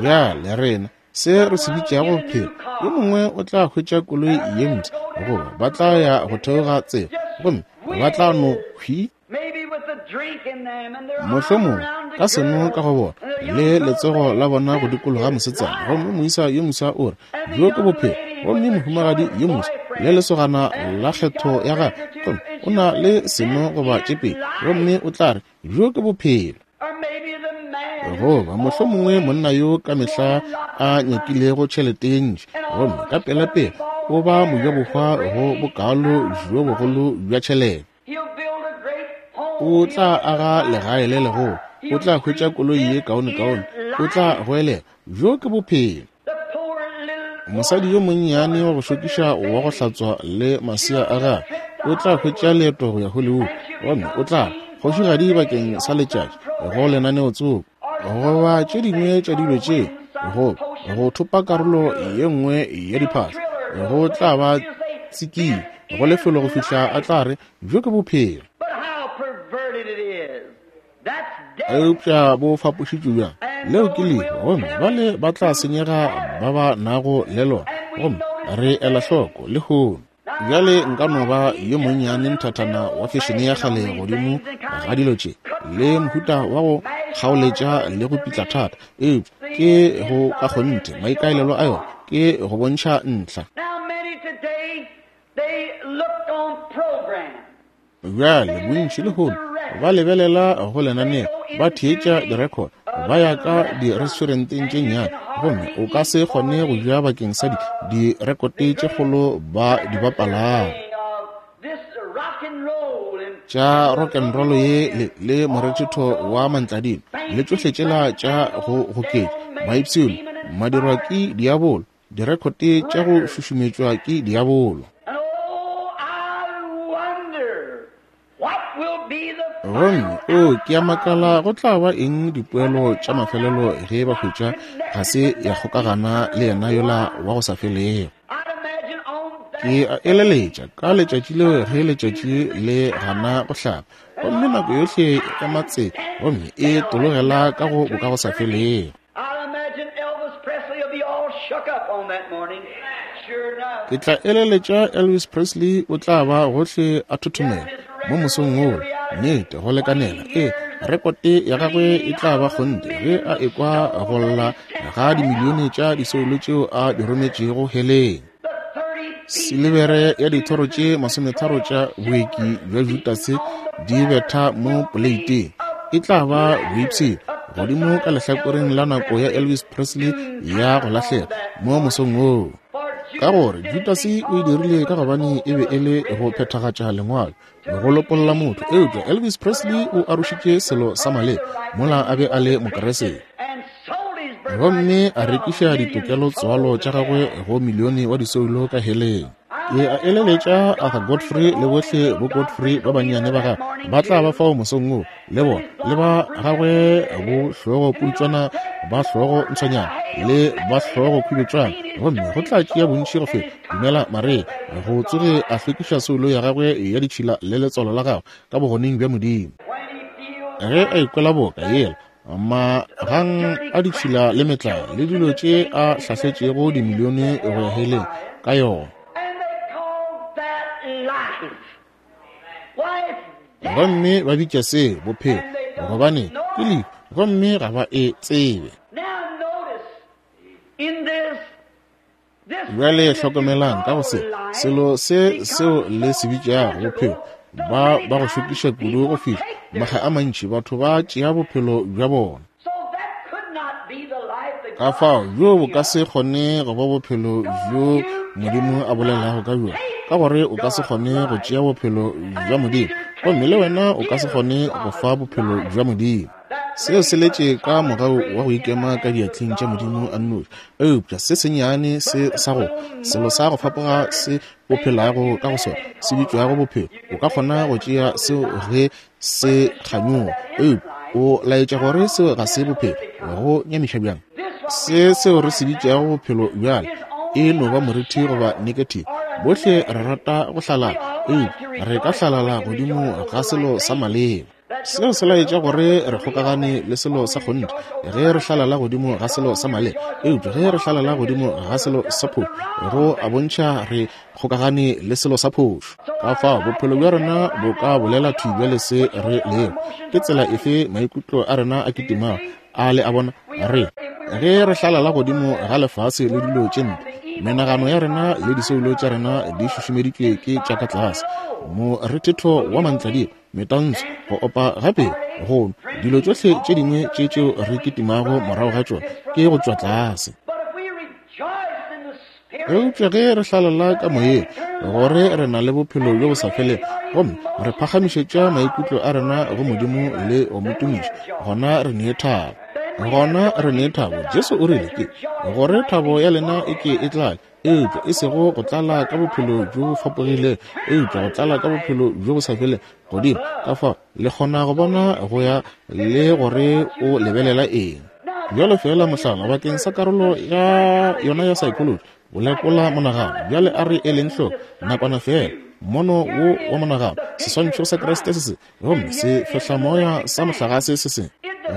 Bjale rena, se re se bitšago bophelo, yo mongwe o tla hwetša koloi ye mpsha, goba ba tla ya go theoga tsela, gomme ba tla no hwi, mohlomongwe ka seno ka go bona, le letsogo la bona go dikologa mosetsana, gomme moisa yo moswa o re, Bjo ke bophelo. Gomme mohumagadi yo moswa le lesogana la kgetho ya gagwe, gomme o na le seno goba tše pedi, gomme o tla re, Bjo ke bophelo. Goba mohlomongwe monna yo ka mehla a nyakilego tšhelete ye ntši, gomme ka pelapela o ba mojabohwa go bokaalo bjo bogolo bja tšhelete. O tla aga legae le legolo, o tla hwetša koloi ye kaonekaone, o tla goelela, Bjo ke bophelo. Mosadi yo monnyane wa go šokiša wa go hlatswa le masea a gagwe o tla hwetša leeto go ya Hollywood, gomme o tla ba kgošigadi bakeng sa letšatši go lenaneotsoko, goba tše dingwe tša dilo tše, go, go thopa karolo ye nngwe ya diphahlo, go tla ba tsikinya go lefelo go fihla a tla re, Bjo ke bophelo. Eupša bo fapošitšwe bjang? Leo ke lehu, gomme bale ba tla senyega ba ba nago le lona. Gomme re ela hloko lehono. Bjale nka no ba yo monnyane nthathana wa fešene ya kgale godimo ga dilo tše, le mohuta wa go kgaoletša le go pitla thata, eupša ke go ka kgonthe maikaelelo a yona ke go bontšha ntlha. Bjale bontši lehono ba lebelela go lenaneo, ba theetša direkhoto, ba ya ka diresturenteng tše nnyane, gomme o ka se kgone go ja bakeng sa direkote tše kgolo ba di bapalago tša rock and roll ye le, le morethetho wa mantladima le tšohle tšela tša go goketša maipshino madirwa ke diabolo. Direkhote tša go šušumetšwa ke diabolo. Gomme, oo, ke a makala go tla ba eng dipoelo tša mafelelo ge ba hwetša ga se ya kgokagana le yena yola wa go sa felego. Ke a eleletša ka letšatši leo ge letšatši le gana go hlaba, gomme nako yohle ya matse gomme e tologela ka go bokagosafelego. Ke tla eleletša Elvis Presley o tla ba gohle a thothomela mo mosong woo, nnete go lekanela. Ee, rekote ya gagwe e tla ba kgonthe ge a ekwa go lla ga dimilione tša disoulo tšeo a di rometšego heleng. Silibere ya dithoro tše 30 tša boeki bja Judase di betha mo poleiteng e tla ba boipshino godimo ka lehlakoreng la nako ya Elvis Presley ya go lahlega mo mosong woo. Ka gore Judase o e dirile ka gobane e be e le go phethagatša lengwalo go lopolla motho, eupša Elvis Presley o arošitše selo sa maleba mola a be a le Mokeresete gomme a rekiša ditokelo tswalo tša gagwe go milione wa disoulo ka heleng. Ke a eleletša Arthur Godfrey le bohle bo Godfrey ba bannyane ba gagwe ba tla ba fao mosong wo le bona, le ba gagwe bo hlogo putšwana, ba hlogo ntshwanyana le ba hlogo khubetšwana, gomme go tla tšea bontši go feta dumela Maria go tsoge a hlwekiša soulo ya gagwe ya ditšhila le letswalo la gagwe ka bogoneng bja Modimo. Ge a ikwela boka yela magang a ditšhila le metlae le dilo tše a hlahletšego dimilione go ya heleng ka yona. Gomme ba bitša se bophelo, gobane ke lehu, gomme ga ba e tsebe. Bjale hlokomelang ka go se selo se seo le se bitšago bophelo, ba ba go šokiša kudu go fihla makga a mantši batho ba tšea bophelo bja bona. Ka fao bjo bo ka se kgone go ba bophelo bjo Modimo a bolelago ka bjona, ka gore o ka se kgone go tšea bophelo bja Modimo, gomme le wena o ka se kgone go fa bophelo bja Modimo. Seo se letše ka mogau wa go ikema ka diatleng tša Modimo a nnoši. Eupša se sennyane se sa go selo sa go fapoga se o phelago ka go sona se bitšwago bophelo, o ka kgona go tšea seo ge se kganyoga, eupša o laetša gore seo ga se bophelo. Go nyamiša bjang! Se seo re se bitšago bophelo bjale e no ba morithi goba negative. Bohle re rata go hlalala, eupša re ka hlalala godimo ga selo sa maleba. Seo se laetša gore re kgokagane le selo sa kgonthe ge re hlalala godimo ga selo sa maleba, eupša ge re hlalala godimo ga selo sa phošo, go a bontšha re kgokagane le selo sa phošo. Ka fao bophelo bja rena bo ka bolela thwi bjale se re lego. Ke tsela efe maikutlo a rena a kitimago a le a bona re ge re hlalala godimo ga lefase le dilo tše mpe? Menagano ya rena le disoulo tša rena di šušumeditšwe ke tša ka tlase, morethetho wa mantladima, metantsho, go opa gape, go nwa, dilo tšohle tše dingwe tše tšeo re kitimago morago ga tšona ke go tšwa tlase. Eupša ge re hlalala ka moyeng gore re na le bophelo bjo bo sa felego gomme re phagamišetša maikutlo a rena go Modimo le go mo tumiša, gona re ne thabo. Gona re ne thabo. Jesu o rile ke gore thabo ya lena e ke e tlale, eupša e sego go tlala ka bophelo bjo bo fapogilego, eupša go tlala ka bophelo bjo bo sa felego godimo. Ka fao le kgona go bona go ya le gore o lebelela eng. Bjalo feela mohlala bakeng sa karolo ya yona ya psychology, go lekola monagano. Bjale a re eleng hloko nakwana feela mono wo wa monagano, seswantšho sa Kriste se se, gomme se fehlamoya sa mohlagase se se.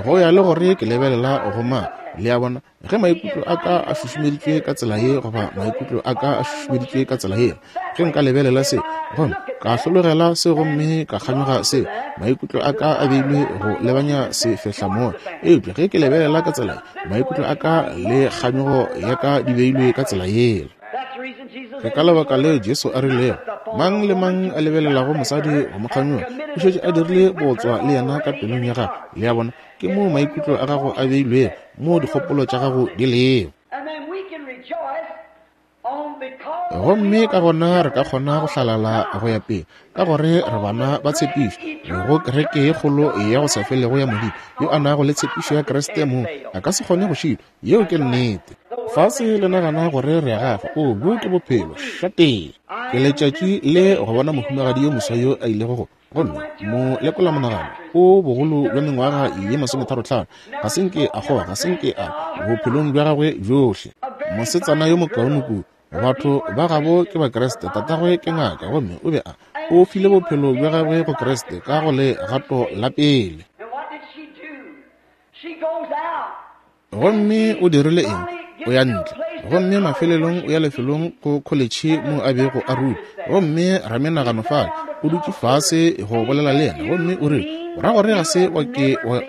Go ya le gore ke lebelela go mang, le a bona, ge maikutlo a ka a šušumeditšwe ka tsela ye goba maikutlo a ka a šušumeditšwe ka tsela ye, ge nka lebelela se gomme ka hlologela se gomme ka kganyoga se, maikutlo a ka a beilwe go lebanya sefehlamoya. Eupša ge ke lebelela ka tsela ye, maikutlo a ka le kganyogo ya ka di beilwe ka tsela yela. Ke ka lebaka leo Jesu a rilego, Mang le mang a lebelelago mosadi go mo kganyoga, o šetše a dirile bootswa le yena ka pelong ya gagwe. Le a bona? Ke moo maikutlo a gago a beilwego, moo dikgopolo tša gago di lego. Gomme ka gona re ka kgona go hlalala go ya pele, ka gore re bana ba tshepišo go kereke ye kgolo ya go sa felego ya Modimo, yo a nago le tshepišo ya Kriste mong a ka se kgone go šitwa. Yeo ke nnete. Fase le nagana gore re a gafa. O, bjo ke bophelo. Šatee. Ke letšatši le go bona mohumagadi yo moswa yo a ilego go, gomme mo lekola monagano, o bogolo bja mengwaga ye 35, ga se nke a kgoga, ga se nke a, bophelong bja gagwe bjohle. Mosetsana yo mokaone kudu. Batho ba gabo ke Bakriste, tatagwe ke ngaka, gomme o be a, o file bophelo bja gagwe go Kriste ka go legato la pele. Gomme o dirile eng? O ya ntle, gomme mafelelong o ya lefelong go kholetšhe mo a bego a ruta. Gomme ramenagano fale o dutše fase go bolela le yena, gomme o rile, O ra gore ga se wa ke wa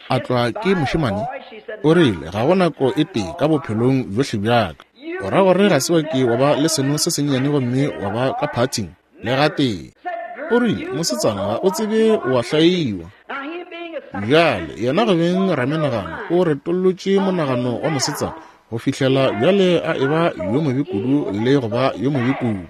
atlwa ke mošemane? O rile, Ga go nako e tee ka bophelong bjohle bja ka. O ra gore ga se wa ke wa ba le seno se sennyane gomme wa ba ka phathing? Le gatee. O rile, Mosetsana, ga o tsebe o a hlaiwa. Bjale, yena go beng ramenagano, o retollotše monagano wa mosetsana go fihlela bjale a eba yo mobe kudu le go ba yo mobe kudu,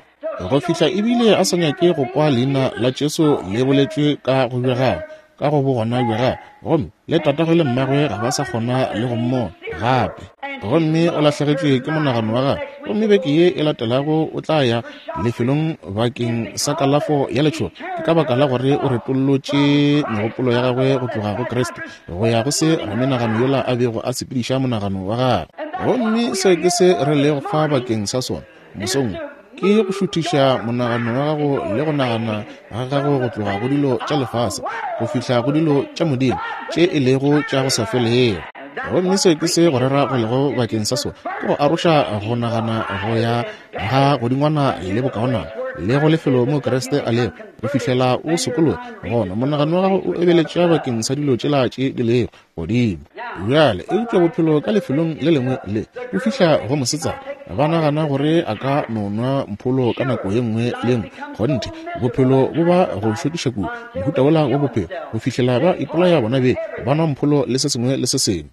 go fihla ebile a sa nyake go kwa leina la Jesu le boletšwe ka go bja gagwe, ka go bogona bja gagwe, gomme le tatagwe le mmagwe ga ba sa kgona le go mmona gape. Gomme o lahlegetšwe ke monagano wa gagwe, gomme beke ye e latelago o tla ya lefelong bakeng sa kalafo ya letšhogo. Ke ka baka la gore o retollotše megopolo ya gagwe go tloga go Kriste go ya go se ramenagano yola a bego a sepediša monagano wa gagwe. Gomme seo ke se re lego fa bakeng sa sona mosong wo, ke go šuthiša monagano wa gago le go nagana ga gago go tloga go dilo tša lefase go fihla go dilo tša Modimo tše e lego tša go sa felego. Gomme seo ke se go rera go lego bakeng sa sona, ke go aroša go nagana go ya ga godingwana le bokaonana le go lefelo mo Kriste a lego go fihlela o sokologa. Gona monagano wa gago o ebeletša bakeng sa dilo tšela tše di lego godimo bjale. Eupša bophelo ka lefelong le lengwe le o fihla go mosetsana, ba nagana gore a ka no nwa mpholo ka nako ye nngwe le nngwe. Kgonthe, bophelo bo ba go šokiša kudu, mohuta wola wa bophelo, go fihlela ba ipolaya bona beng, ba nwa mpholo le se sengwe le se sengwe.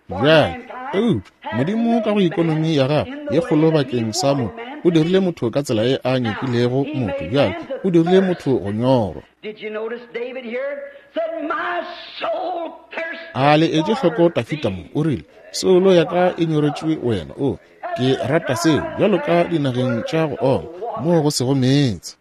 Bjale, eupša Modimo ka go ikonomi ya gagwe ye kgolo bakeng sa motho, o dirile motho ka tsela ye a nyakilego motho. Bjale, o dirile motho go nyorwa. A le etše hloko Dafida mo? O rile, Soulo ya ka e nyoretšwe wena. O, ke rata seo, bjalo ka dinageng tša go oma, moo go sego meetse.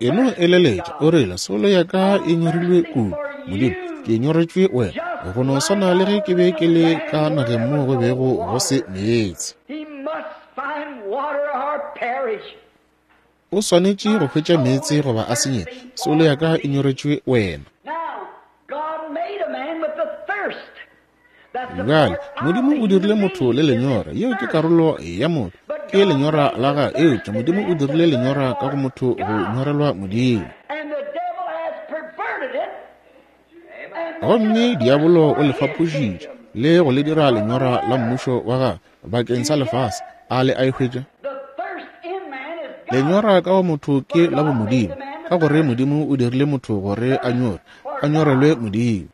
E no eleletša, o rile, Soulo ya ka e nyorilwe kudu. Modimo, ke nyoretšwe wena, go no swana le ge ke be ke le ka nageng moo go bego go se meetse. O swanetše go hwetša meetse goba a senyege. Soulo ya ka e nyoretšwe wena. Bjale, Modimo o dirile motho le lenyora. Yeo ke karolo ya motho, ke lenyora la gagwe. Eupša Modimo o dirile lenyora ka go motho go nyorelwa Modimo. Gomme diabolo o le fapošitše le go le dira lenyora la mmušo wa gagwe bakeng sa lefase. A le a e hwetša? Lenyora ka go motho ke la bomodimo, ka gore Modimo o dirile motho gore a nyore, a nyorelwe Modimo.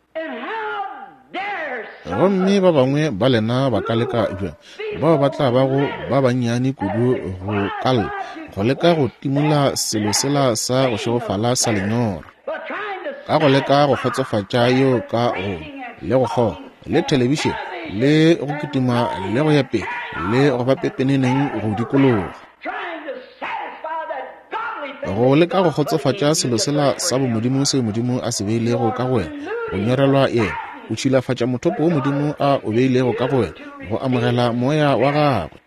Gomme ba bangwe ba lena ba ka leka bjang, bao ba tla bago ba bannyane kudu go ka lla, go leka go timola selo sela sa go šegofala sa lenyora, ka go leka go kgotsofatša yeo ka go le go kgoga le thelebišene le go kitima le go ya pele le go ba pepeneneng go dikologa, go leka go kgotsofatša selo sela sa bomodimo seo Modimo a se beilego ka go wena, go nyorelwa yena. O tšhilafatša mothopo wo Modimo a o beilego ka go wena go amogela moya wa gagwe,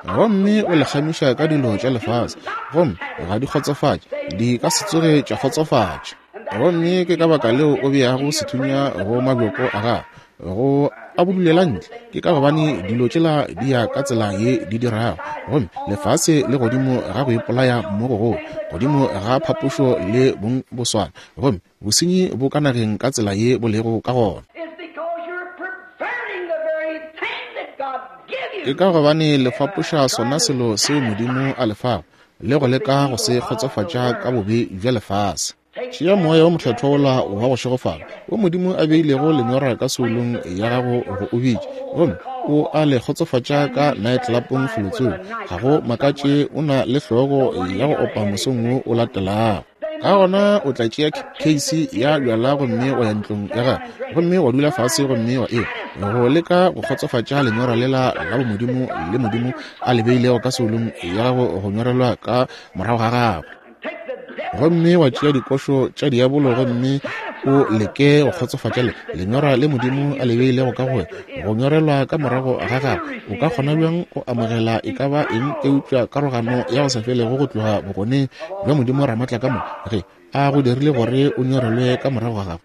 gomme o le kgamiša ka dilo tša lefase, gomme ga di kgotsofatše, di ka se tsoge tša kgotsofatša. Gomme ke ka baka leo o beago sethunya go mabjoko a gago, go a budulela ntle, ke ka gobane dilo tšela di ya ka tsela ye di dirago. Gomme lefase le godimo ga go ipolaya mo gogolo, godimo ga phapošo le bong boswana, gomme bosenyi bo ka nageng ka tsela ye bo lego ka gona. Ke ka gobane le fapoša sona selo seo Modimo a le fago, le go leka go se kgotsofatša ka bobe bja lefase. Tšea moya wo mokgethwa wola wa go šegofala wo Modimo a beilego lenyora ka soulong ya gago go o bitša, gomme o a le kgotsofatša ka naetlelapong felotsoko. Ga go makatše o na le hlogo ya go opa mosong wo o latelago. Ka gona o tla tšea keisi ya bjala gomme wa ya ntlong ya gago, gomme wa dula fase gomme wa e go leka go kgotsofatša lenyora lela la bomodimo le Modimo a le beilego ka soulong ya gago go nyorelwa ka morago ga gago. Gomme wa tšea dikošo tša diabolo gomme o leke go kgotsofatša le lenyora le Modimo a le beilego ka go wena go nyorelwa ka morago ga gago. O ka kgona bjang go amogela e ka ba eng eupša karogano ya go sa felego go tloga bogoneng bja Modimo Ramatlakamoka ge a go dirile gore o nyorelwe ka morago ga gago?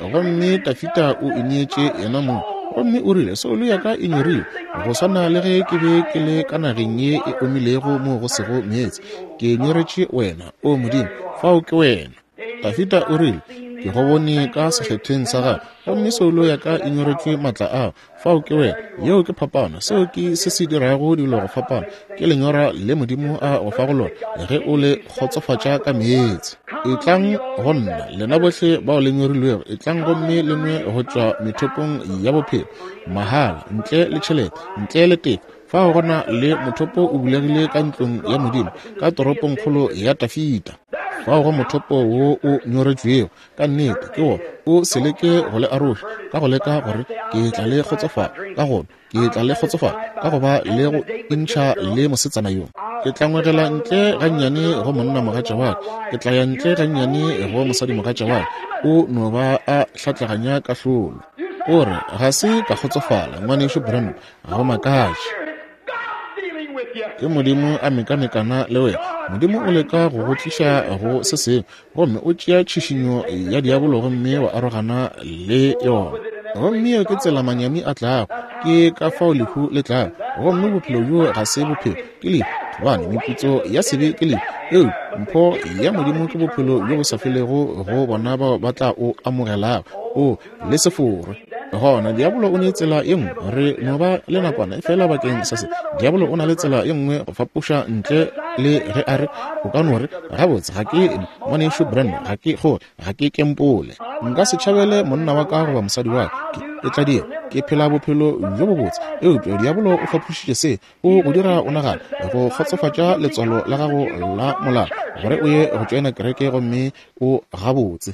Gomme Dafida o ineetše yena mong, gomme o rile, Soulo ya ka e nyorilwe, go swana le ge ke be ke le ka nageng ye e omilego moo go sego meetse. Ke nyoretše wena, O Modimo, fao ke wena. Dafida o rile, Ke go bone ka sekgethweng sa gago, gomme soulo ya ka e nyoretšwe maatla ao. Fao ke wena. Yeo ke phapano. Seo ke se se dirago dilo go fapana. Ke lenyora le Modimo a go fago lona ge o le kgotsofatša ka meetse. Etlang go nna, lena bohle bao le nyorilwego, etlang gomme le nwe go tšwa methopong ya bophelo, mahala, ntle le tšhelete, ntle le tefo. Fao go na le mothopo o bulegile ka ntlong ya Modimo, ka toropongkgolo ya Dafida. Fao go mothopo wo o nyoretšwego, ka nnete ke wona. O se leke go le aroša ka go leka gore ke tla le kgotsofala ka go nwa, ke tla le kgotsofala ka go ba le go intšha le mosetsana yo. Ke tla ngwegela ntle gannyane go monnamogatša wa ka, ke tla ya ntle gannyane go mosadimogatša wa ka. O no ba a hlatlaganya kahlolo. O re, Ga se ka kgotsofala, Ngwanešu Branham. Ga go makatše. Ke Modimo a mekamekana le wena. Modimo o leka go go tliša go se sengwe, gomme o tšea tšhišinyo ya diabolo gomme wa arogana le yona. Gomme yeo ke tsela manyami a tlago. Ke ka fao lehu le tlago. Gomme bophelo bjo ga se bophelo, ke lehu, gobane meputso ya sebe ke lehu. Eupša mpho ya Modimo ke bophelo bjo bo sa felego go bona bao ba tla o amogelago. O le se forwe. Gona diabolo o ne tsela ye nngwe. Re no ba le nakwana fela bakeng sa se. Diabolo o na le tsela ye nngwe go fapoša ntle le ge a re, o ka no re, Gabotse, ga ke Ngwanešu Branham, ga ke kgole, ga ke kempole. Nka se tšhabele monna wa ka goba mosadi wa ka. Ke tla dira, ke phela bophelo bjo bobotse. Eupša diabolo o fapošitše se, o go dira o nagane go kgotsofatša letswalo la gago la molao gore o ye go tšoena kereke gomme o gabotse.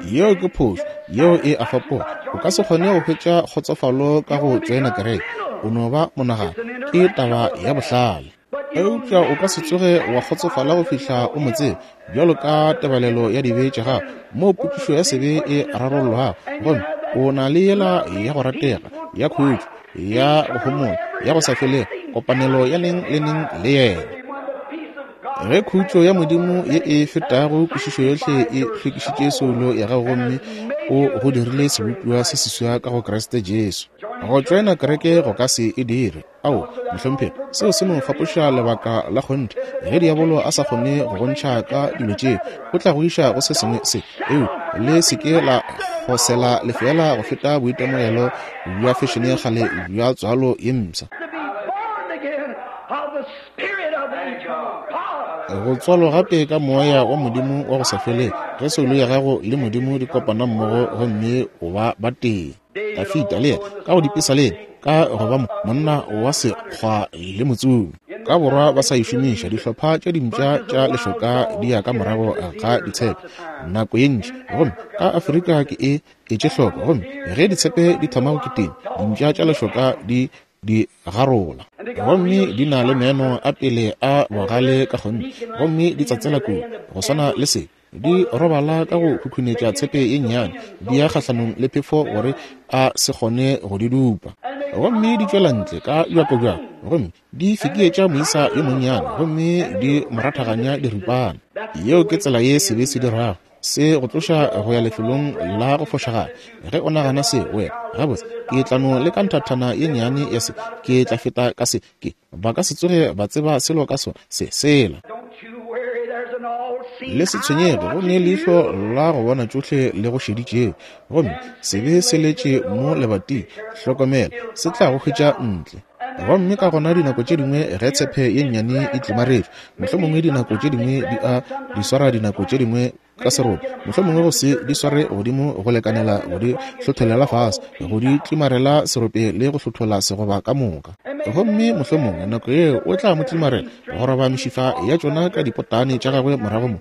Yeo ke phošo, yeo e a fapoga. O ka se kgone go hwetša kgotsofalo ka go tšoena kereke. O no ba monagano. Ke taba ya bohlale. Eupša o ka se tsoge wa kgotsofala go fihla o mo tseba, bjalo ka tebalelo ya dibe tša gago, moo potšišo ya sebe e rarollwago, gomme o na le yela ya go ratega, ya khutšo, ya go homola, ya go sa felego, kopanelo ya neng le neng le yena. Ge khutšo ya Modimo ye e fetago kwešišo yohle e hlwekišitše soulo ya gago gomme o go dirile sebopiwa se seswa ka go Kriste Jesu. Go tšoena kereke go ka se e dire. Ao, mohlomphegi, seo se no fapoša lebaka la kgonthe. Ge diabolo a sa kgone go go ntšha ka dilo tšeo, o tla go iša go se sengwe se. Eupša le se ke la kgosela lefeela go feta boitemogelo bja fešene ya kgale bja tswalo ye mpsha. Go tswalwa gape ka Moya wa Modimo wa go sa felego, ge soulo ya gago le Modimo di kopana mmogo gomme o ba batee. Dafida le yena ka go dipesaleng ka go ba monna wa sekgwa le motsomi. Ka borwa ba sa e šomiša, dihlopha tša dimpša tša lešoka di ya ka morago ga ditshepe nako ye ntši, gomme ka Afrika ke e etše hloko, gomme ge ditshepe di thoma go kitima, dimpša tša lešoka di di garola, gomme di na le meno a pele a bogale ka kgonthe, gomme di tsatsela kudu go swana le se. Di robala ka go khukhunetša tshepe ye nnyane, di ya kgahlanong le phefo gore a se kgone go di dupa. Gomme di tšwela ntle ka bjakobjako, gomme di fekeetša moisa yo monnyane, gomme di mo rathaganya diripana. Yeo ke tsela ye sebe se dirago. Se go tloša go ya lefelong la go fošagala. Ge o nagana se, wena, gabotse, ke tla no leka nthathana ye nnyane ya se, ke tla feta ka se, ke, ba ka se tsoge ba tseba selo ka sona, se, sela. Le se tshwenyege, go ne leihlo la go bona tšohle le go šeditšego, gomme sebe se letše mo lebating, hlokomela, se tla go hwetša ntle. Gomme ka gona dinako tše dingwe ge tshepe ye nnyane e tlimaretšwe, mohlomongwe dinako tše dingwe di a di swara dinako tše dingwe ka serope, mohlomongwe go se di sware godimo go lekanela go di hlotholela fase, go di tlimarela serope le go hlothola segoba ka moka. Gomme mohlomongwe nako yeo o tla mo tlimarela go roba mešifa ya tšona ka dipotane tša gagwe morago mo,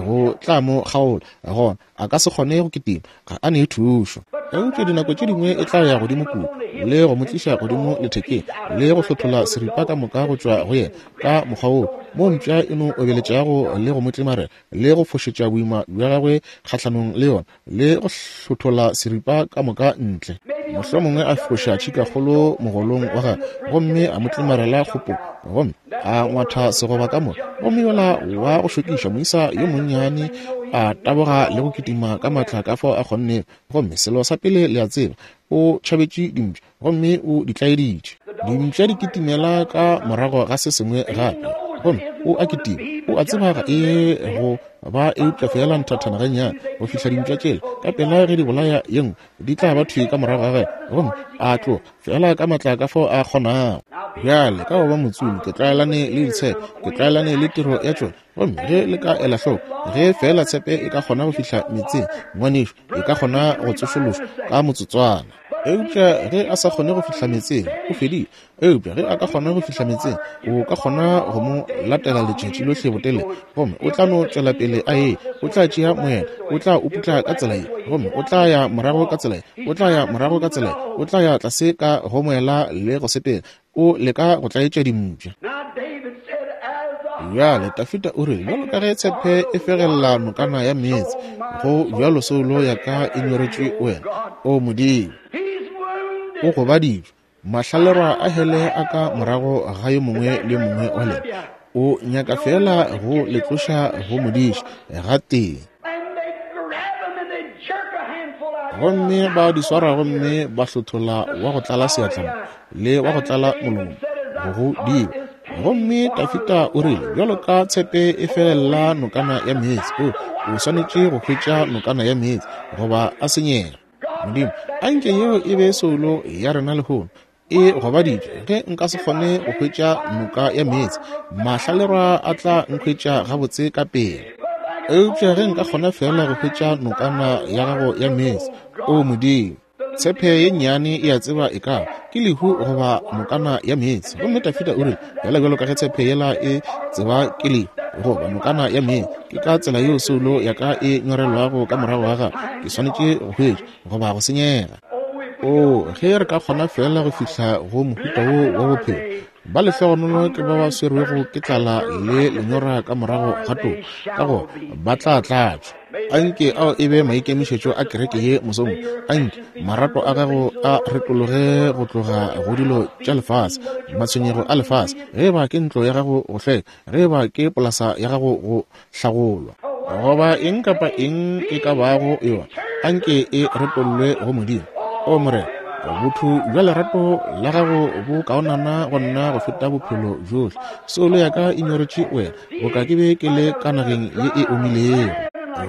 go tla mo kgaola, gona a ka se kgone go kitima, ga a ne thušo. Eupša dinako tše dingwe e tla ya godimo kua le go mo tliša godimo lethekeng le go hlothola seripa ka moka go tšwa go yena ka mokgwa woo, mo mpša e no obeletšago le go mo tlimarela le go fošetša boima bja gagwe kgahlanong le yona le go hlothola seripa ka moka ntle. Mohlomongwe a foša tšhikakgolo mogolong wa gagwe gomme a mo tlimarela kgopong gomme a ngwatha segoba ka moka, gomme yola wa go šokiša moisa yo monnyane a taboga le go kitima ka matla ka fao a kgonnego, gomme selo sa pele le a tseba, o tšhabetše dimpša gomme o di tlaeditše. Dimpša di kitimela ka morago ga se sengwe gape, gomme o a kitima, o a tseba ga e go ba eupša feela nthathana gannyane go fihla dimpša tšela ka pela ge di bolaya ye nngwe di tla ba thwi ka morago ga gagwe, gomme a tloga feela ka matla ka fao a kgonago. Bjale ka go ba motsomi ke tlwaelane le ditshepe, ke tlwaelane le tiro ya tšona, gomme ge le ka ela hloko, ge feela tshepe e ka kgona go fihla meetseng, ngwanešu, e ka kgona go tsošološwa ka motsotswana. Eupša ge a sa kgone go fihla meetseng, o fedile. Eupša ge a ka kgona go fihla meetseng, o ka kgona go mo latela letšatši lohle botelele, gomme o tla no tšwela pele a ye. O tla tšea moela, o tla o putla ka tsela ye, gomme o tla ya morago ka tsela ye, o tla ya morago ka tsela ye, o tla ya tlase ka go moela le go sepela, o leka go tlaetša dimpša. Bjale Dafida o rile, bjalo ka ge tshepe e fegelela nokana ya meetse, go bjalo soulo ya ka e nyoretšwe wena, O Modimo. O gobaditšwe, mahlalerwa a hele a ka morago ga yo mongwe le yo mongwe wa lena. O nyaka feela go le tloša go modiši gatee. Gomme ba di swara gomme ba hlothola wa go tlala seatla mo le wa go tlala molomo go go diba. Gomme Dafida o rile, bjalo ka tshepe e felela nokana ya meetse, o, o swanetše go hwetša nokana ya meetse goba a senyega. Modimo, a nke yeo e be soulo ya rena lehono, e gobaditšwe. Ge nka se kgone go hwetša noka ya meetse, mahlalerwa a tla nkhwetša gabotse ka pele. Eupša ge nka kgona feela go hwetša nokana ya gago ya meetse, O Modimo! Tshepe ye nnyane e a tseba e ka ke lehu goba nokana ya meetse. Gomme Dafida o rile, Bjala bjalo ka ge tshepe yela e tseba ke lehu goba nokana ya meetse, ke ka tsela yeo soulo ya ka e nyorelwago ka morago ga gago. Ke swanetše go hwetša goba go senyega. Oo, ge re ka kgona feela go fihla go mohuta wo wa bophelo! Ba lehlogonolo ke ba ba swerwego ke tlala le lenyora ka morago ga toka, ka gore ba tla tlatšwa. Anke ao e be maikemišetšo a kereke ye mosong. Anke marato a gago a retologe go tloga go dilo tša lefase, matshwenyego a lefase, ge eba ke ntlo ya gago go hlweka, ge eba ke polasa ya gago go hlagolwa, goba eng kapa eng e ka bago yona, anke e retollwe go Modimo. O Morena, botho bja lerato la gago bo kaonana go nna go feta bophelo bjohle. Soulo ya ka e nyoretše wena, boka ke be ke le ka nageng ye e omilego,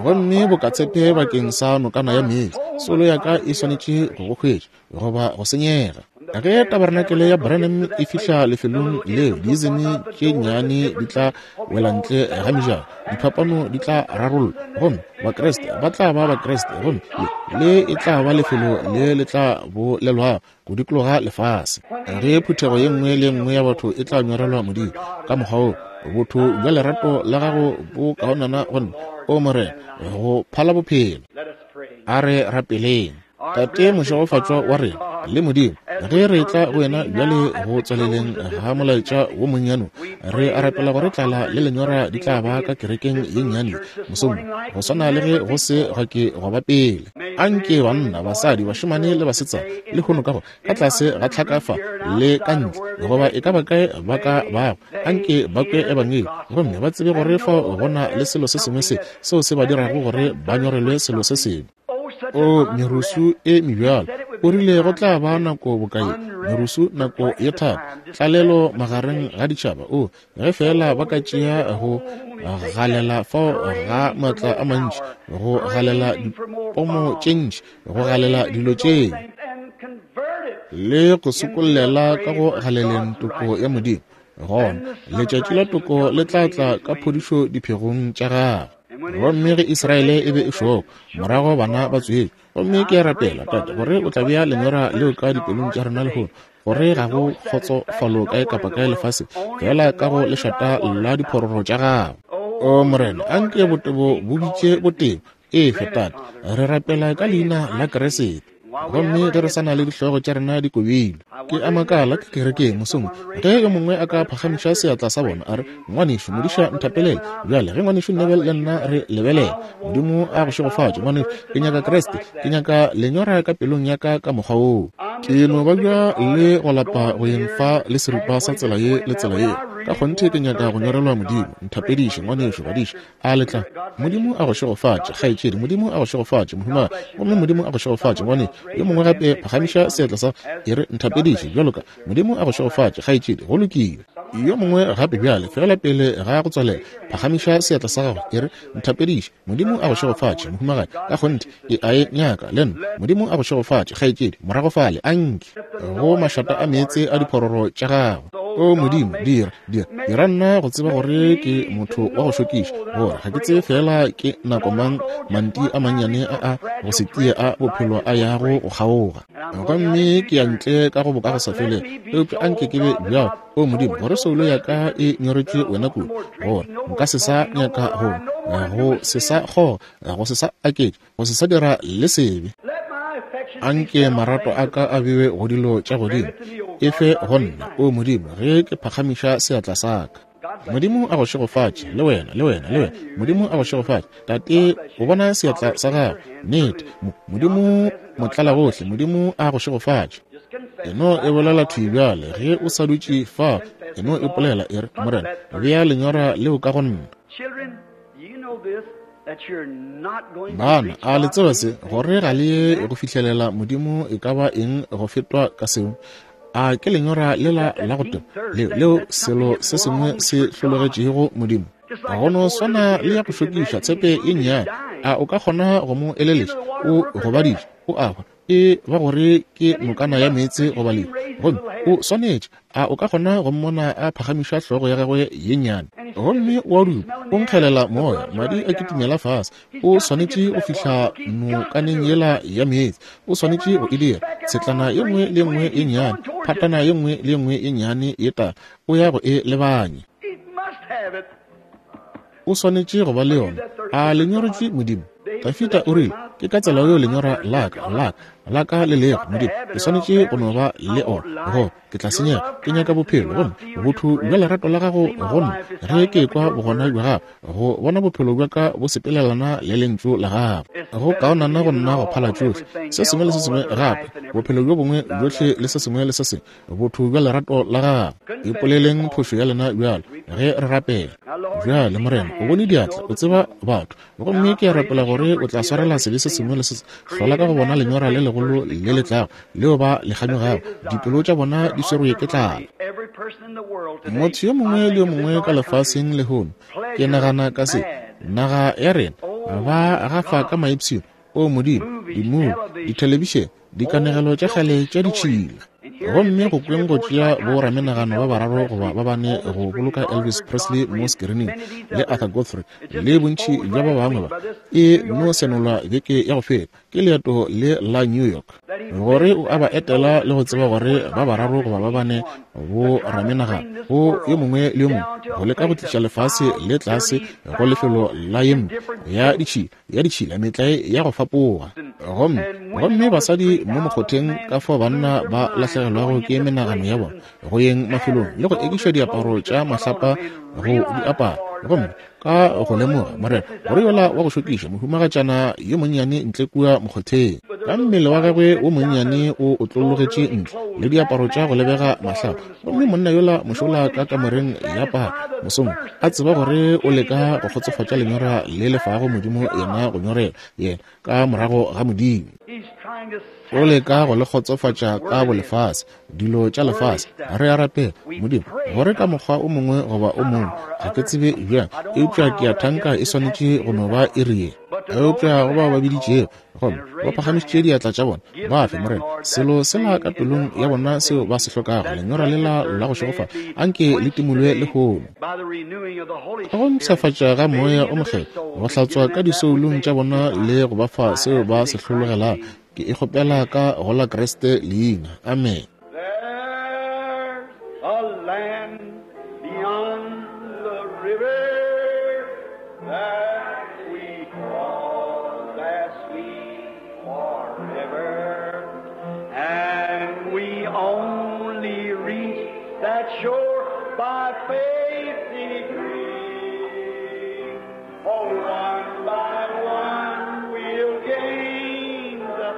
gomme boka tshepe bakeng sa nokana ya meetse. Soulo ya ka e swanetše go go hwetša goba go senyega. Ge tabarenakele ya Branham e fihla lefelong leo, diizeme tše nnyane di tla wela ntle ga mejako, diphapano di tla rarollwa, gomme Bakriste ba tla ba Bakriste, gomme le e tla ba lefelo le le tla bolelwago go dikologa lefase. Ge phuthego ye nngwe le ye nngwe ya batho e tla nyorelwa Modimo ka mokgwa woo, botho bja lerato la gago bo kaonana go nna, O Morena, go phala bophelo. A re rapeleng. Tate mošegofatšwa wa rena le Modimo, ge re etla go wena bjale go tswaleleng ga molaetša wo monnyane, re a rapela gore tlala le lenyora di tla ba ka kerekeng ye nnyane mosong, go swana le ge go se gwa ke gwa ba pele. Anke banna, basadi, bašemane le basetsana lehono ka go ka tlase ga tlhaka fa le ka ntle, goba e ka ba kae ba ka bago, anke ba kwe ebangedi gomme ba tsebe gore fao go na le selo se sengwe se seo se ba dirago gore ba nyorelwe selo se sengwe. O merusu e mebjalo, o rile go tla ba nako bokae? Merusu, nako ye thata, tlalelo magareng ga ditšhaba. O, ge feela ba ka tšea go galela fao ga maatla a mantši, go galela dipomo tše ntši, go galela dilo tše. le go sokollela ka go galeleng toko ya Modimo, gona letšatši la toko le tla tla ka phodišo diphegong tša gagwe. Gomme ge Israele e be e šokwa, morago bana ba tswetšwe. Gomme ke a rapela, Tate, gore o tla bea lenyora leo ka dipelong tša rena lehono, gore ga go kgotsofalo kae kapa kae lefaseng, feela ka go lešata la diphororo tša gago. O Morena, anke botebo bo bitše botebo. Efe, Tate, re rapela ka Leina la Kriste. Gomme ge re sa na le dihlogo tša rena di kobilwe, ke a makala ke kerekeng mosong ge yo mongwe a ka phagamiša seatla sa bona a re, Ngwanešu modiša, nthapelele. Bjale ge Ngwanešu Neville le nna re lebelela, Modimo a go šegofatše, ngwanešu. Ke nyaka Kriste. Ke nyaka lenyora ka pelong ya ka ka mokgwa woo. Ke no babja le go lapa go yeng fa le seripa sa tsela ye le tsela ye. Ka kgonthe ke nyaka go nyorelwa Modimo. Nthapediše, ngwanešu, badiša. A le tla? Modimo a go šegofatše, kgaetšedi. Modimo a go šegofatše, mohumagadi. Gomme Modimo a go šegofatše, ngwanešu. Yo mongwe gape phagamiša seatla sa, e re, nthapediše, bjalo ka. Modimo a go šegofatše, kgaetšedi. Go lokile. Yo mongwe gape bjale, feela pele ga go tswalela, phagamiša seatla sa gago, e re, nthapediše. Modimo a go šegofatše, mohumagadi. Ka kgonthe, ke a e nyaka, le nna. Modimo a go šegofatše, kgaetšedi, morago fale. A nke go mašata a meetse a diphororo tša gago. O Modimo, dira, dira, dira nna go tseba gore ke motho wa go šokiša, gore ga ke tsebe feela ke nako mang manti a mannyane a a go se tie a bophelo a yago go kgaoga. Gomme ke ya ntle ka go bokagosafelego. Eupša a nke ke be bjalo, O Modimo, gore soulo ya ka e nyoretšwe wena kudu, gore nka se sa nyaka go, go se sa kgoga, go se sa aketša, go se sa dira le sebe. A nke marato a ka a bewe go dilo tša godimo. E fe go nna, O Modimo, ge ke phagamiša seatla sa ka. Modimo a go šegofatše, le wena, le wena, le wena. Modimo a go šegofatše. Tate, o bona seatla sa gago. Nnete. Modimo motlalagohle, Modimo a go šegofatše. E no e bolela thwi bjale, ge o sa dutše fa, e no ipolela, e re, Morena, bea lenyora leo ka go nna. Bana, a le tseba se, gore ga le ye go fihlelela Modimo e ka ba eng go fetwa ka seo? A ke lenyora lela la go teba, leo, leo selo se sengwe se hlologetšego Modimo? Go no swana le ya go šokiša tshepe ye nnyane. A o ka kgona go mo eleletša? O gobaditše, o a hwa. E ba gore ke nokana ya meetse goba lehu, gomme o swanetše. A o ka kgona go mmona a phagamiša hlogo ya gagwe ye nnyane? Gomme o a dupa, o nkgelela moya, madi a kitimela fase. O swanetše go fihla nokaneng yela ya meetse. O swanetše go e dira. Tshetlana ye nngwe le ye nngwe ye nnyane, phatana ye nngwe le ye nngwe ye nnyane ye tala, o ya go e lebanya. O swanetše go ba le yona. A le nyoretšwe Modimo? Dafida o rile, Ke ka tsela yeo lenyora la ka, la ka, la ka le lego, Modimo. Ke swanetše go no ba le ona, goba ke tla senyega. Ke nyaka bophelo, gomme botho bja lerato la gago go nna, ge ke ekwa bogona bja gago, go bona bophelo bja ka bo sepelelana le Lentšu la gago. Go kaonana go nna go phala tšohle, se sengwe le se sengwe gape, bophelo bjo bongwe bjohle le se sengwe le se sengwe, botho bja lerato la gago. Ipoleleng phošo ya lena bjalo ge re rapela. Bjale, Morena, o bone diatla, o tseba batho. Gomme ke a rapela gore o tla swarela sebe se sengwe le se hlola ka go bona lenyora le legolo le le tlago leo ba le kganyogago. Dipelo tša bona di swerwe ke tlala. Motho yo mongwe le yo mongwe ka lefaseng lehono, ke nagana ka se, naga ya rena, ba gafa ka maipshino, O Modimo, dimubi, dithelebišene, dikanegelo tša kgale tša ditšhila. Gomme go kweng go tšea boramenagano ba bararo goba ba bane go boloka Elvis Presley mo sekirining, le Arthur Godfrey, le bontši bja ba bangwe ba, e no senolwa beke ya go feta ke leeto le la New York, gore o a ba etela le go tseba gore ba bararo goba ba bane boramenagano go yo mongwe le yo mongwe go leka go tliša lefase le tlase go lefelo la ye mpe ya ditšhila ya ditšhila, metlae ya go fapoga. Gomme, gomme basadi mo mokgotheng, ka fao banna ba lahlegelwago ke menagano ya bona go yeng mafelong le go ekiša diaparo tša mahlapa go di apara. Gomme ka go lemoga, Morena, gore yola wa go šokiša mohumagatšana yo monnyane ntle kua mokgotheng, ka mmele wa gagwe wo monnyane o otlologetše ntle, le diaparo tša go lebega mahlapa, Gomme monna yola mošola ka kamoreng ya paka mosong, a tseba gore o leka go kgotsofatša lenyora le lefago Modimo yena go nyorela yena ka morago ga Modimo. O leka go le kgotsofatša ka bolefase, dilo tša lefase. Re a rapela, Modimo, gore ka mokgwa o mongwe goba o mongwe, ga ke tsebe bjang, eupša ke a thanka e swanetše go no ba iri ye. Eupša go bao ba biditšego gomme ba phagamišitše diatla tša bona, ba fe, Morena, selo sela ka pelong ya bona seo ba se hlokago, lenyora lela la go šegofala, anke le timolwe lehono. Ka go mpshafatša ga Moya o Mokgethwa, go hlatswa ka disoulong tša bona le go ba fa seo ba se hlologelago, ke e kgopela ka go la Kriste leina. Amene. There's a land beyond the river that we call that sweet forever, and we only reach that shore by faith degree. Oh, one by one we'll gain the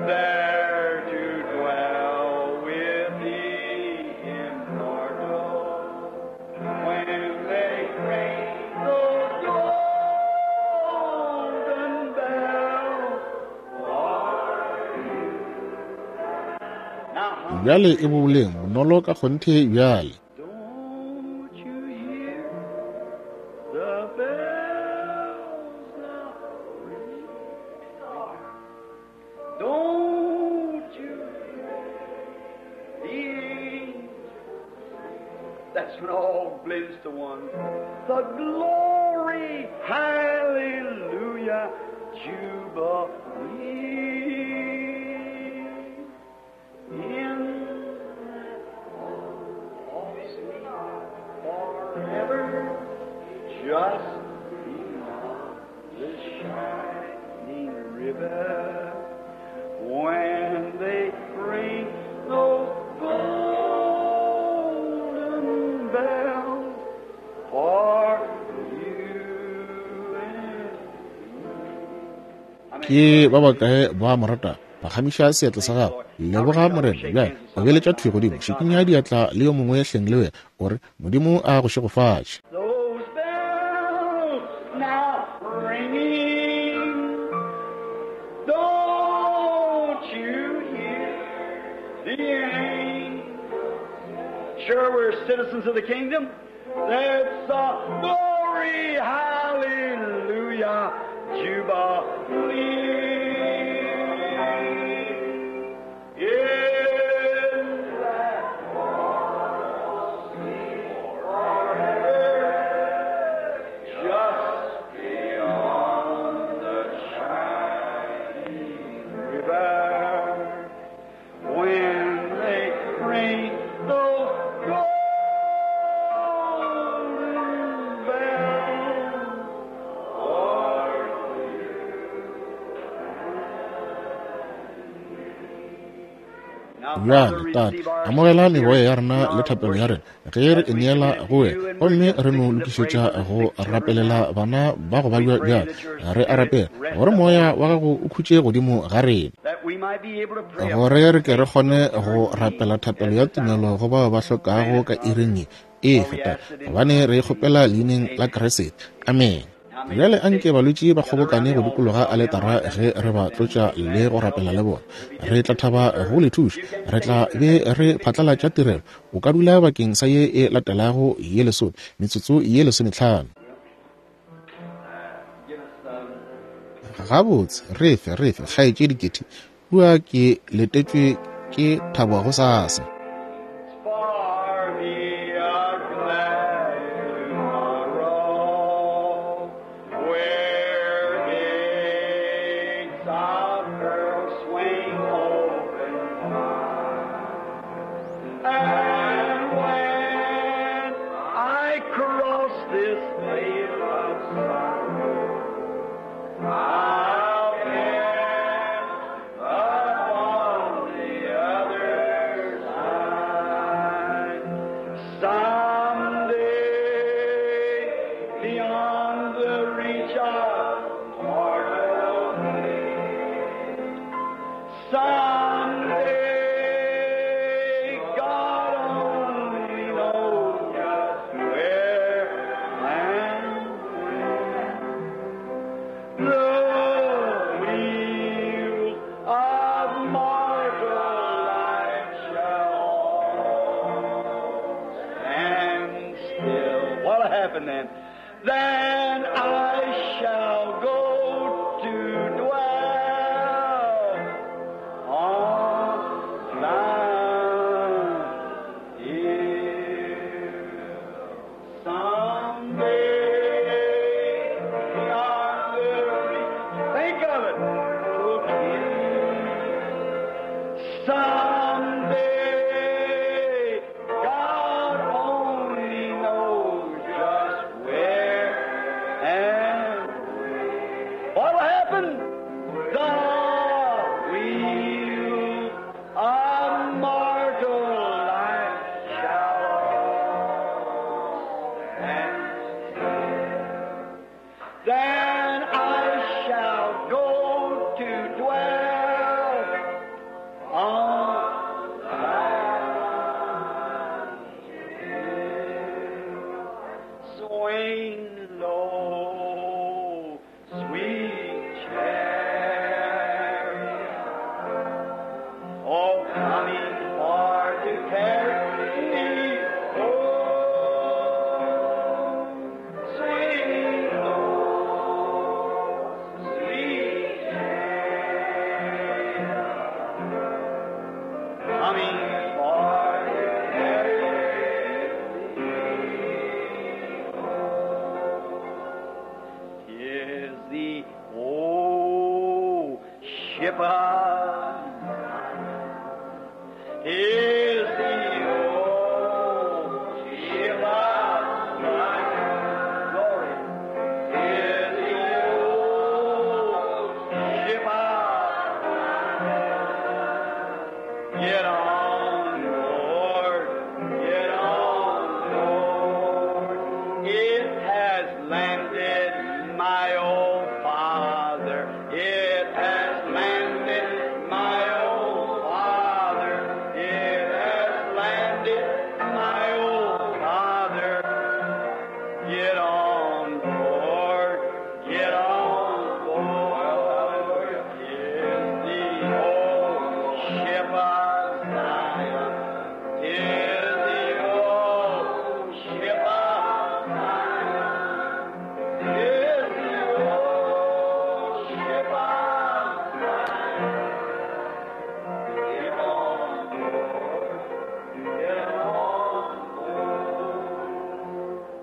there to dwell with the immortal. When they ring those golden bells for you. Now, Bjale e boleng bonolo ka kgonthe bjale. don't you hear the bells now ring? Don't you hear the angels? That's when all blends to one. The glory, hallelujah, jubilee. In that sweet forever, just beyond the shining river, when they ring those golden bells for you and me. Ke ba bakae ba mo rata? Phagamiša seatla sa gago. Leboga Morena. Bjale obeletša thwi godimo, šikinya diatla le yo mongwe hleng le wena, o re Modimo a go šegofatše. Those bells now ringing, don't you hear the angels? Sure, we're citizens of the kingdom. That's a glory, hallelujah, jubilee. In that forever, just beyond the shining river, when they ring those golden bells for you. Bjale, Tate, amogela meboya ya rena le thapelo ya rena ge re e neela go wena, gomme re no lokišetša go rapelela bana ba go babja. Bjale re a rapela gore moya wa gago o khutše godimo ga rena, That we might be able to pray gore re ke re kgone go rapela thapelo ya tumelo go bao ba hlokago ka iring ye e feta, gobane re e kgopela leineng la Kriste. Amen. Bjale anke balwetši ba kgobokane go dikologa aletara ge re ba tlotša le go rapela le bona. Re tla thaba go le thuša. Re tla be re phatlalatša tirelo. O ka dula bakeng sa ye e latelago ye lesome, metsotso ye 15. Give us some Gabotse, re fe, re fe, kgaetšedi Ketty, kua ke letetšwe ke thabo gosasa. For me a glad tomorrow, where gates of pearl swing open wide. And when I cross this vale of sorrow, I'll get upon the other side. Someday, beyond the reach of mortal day, someday, God only knows just where and when. The wheels of mortal life shall stand still. What'll happen then? Then I shall go to dwell on Mount Hill. Someday I will reach. Think of it. Someday, God only knows just where and when. What will happen? The wheel of mortal life shall stand still. Then I shall go to dwell on Mount Hill. Swing low, sweet chariot, oh, coming for to carry me home. Swing low, sweet chariot, coming for to carry me home. Tis the old ship of is the old ship of Zion. Glory. Is the old ship of Zion. Get on board, get on board. It has landed my old father. It has landed my old father. It has landed my old father. Get on board, get on board. Is the old ship of Zion. Is the old ship of Zion. Is the old ship of Zion. Get on board, get on board.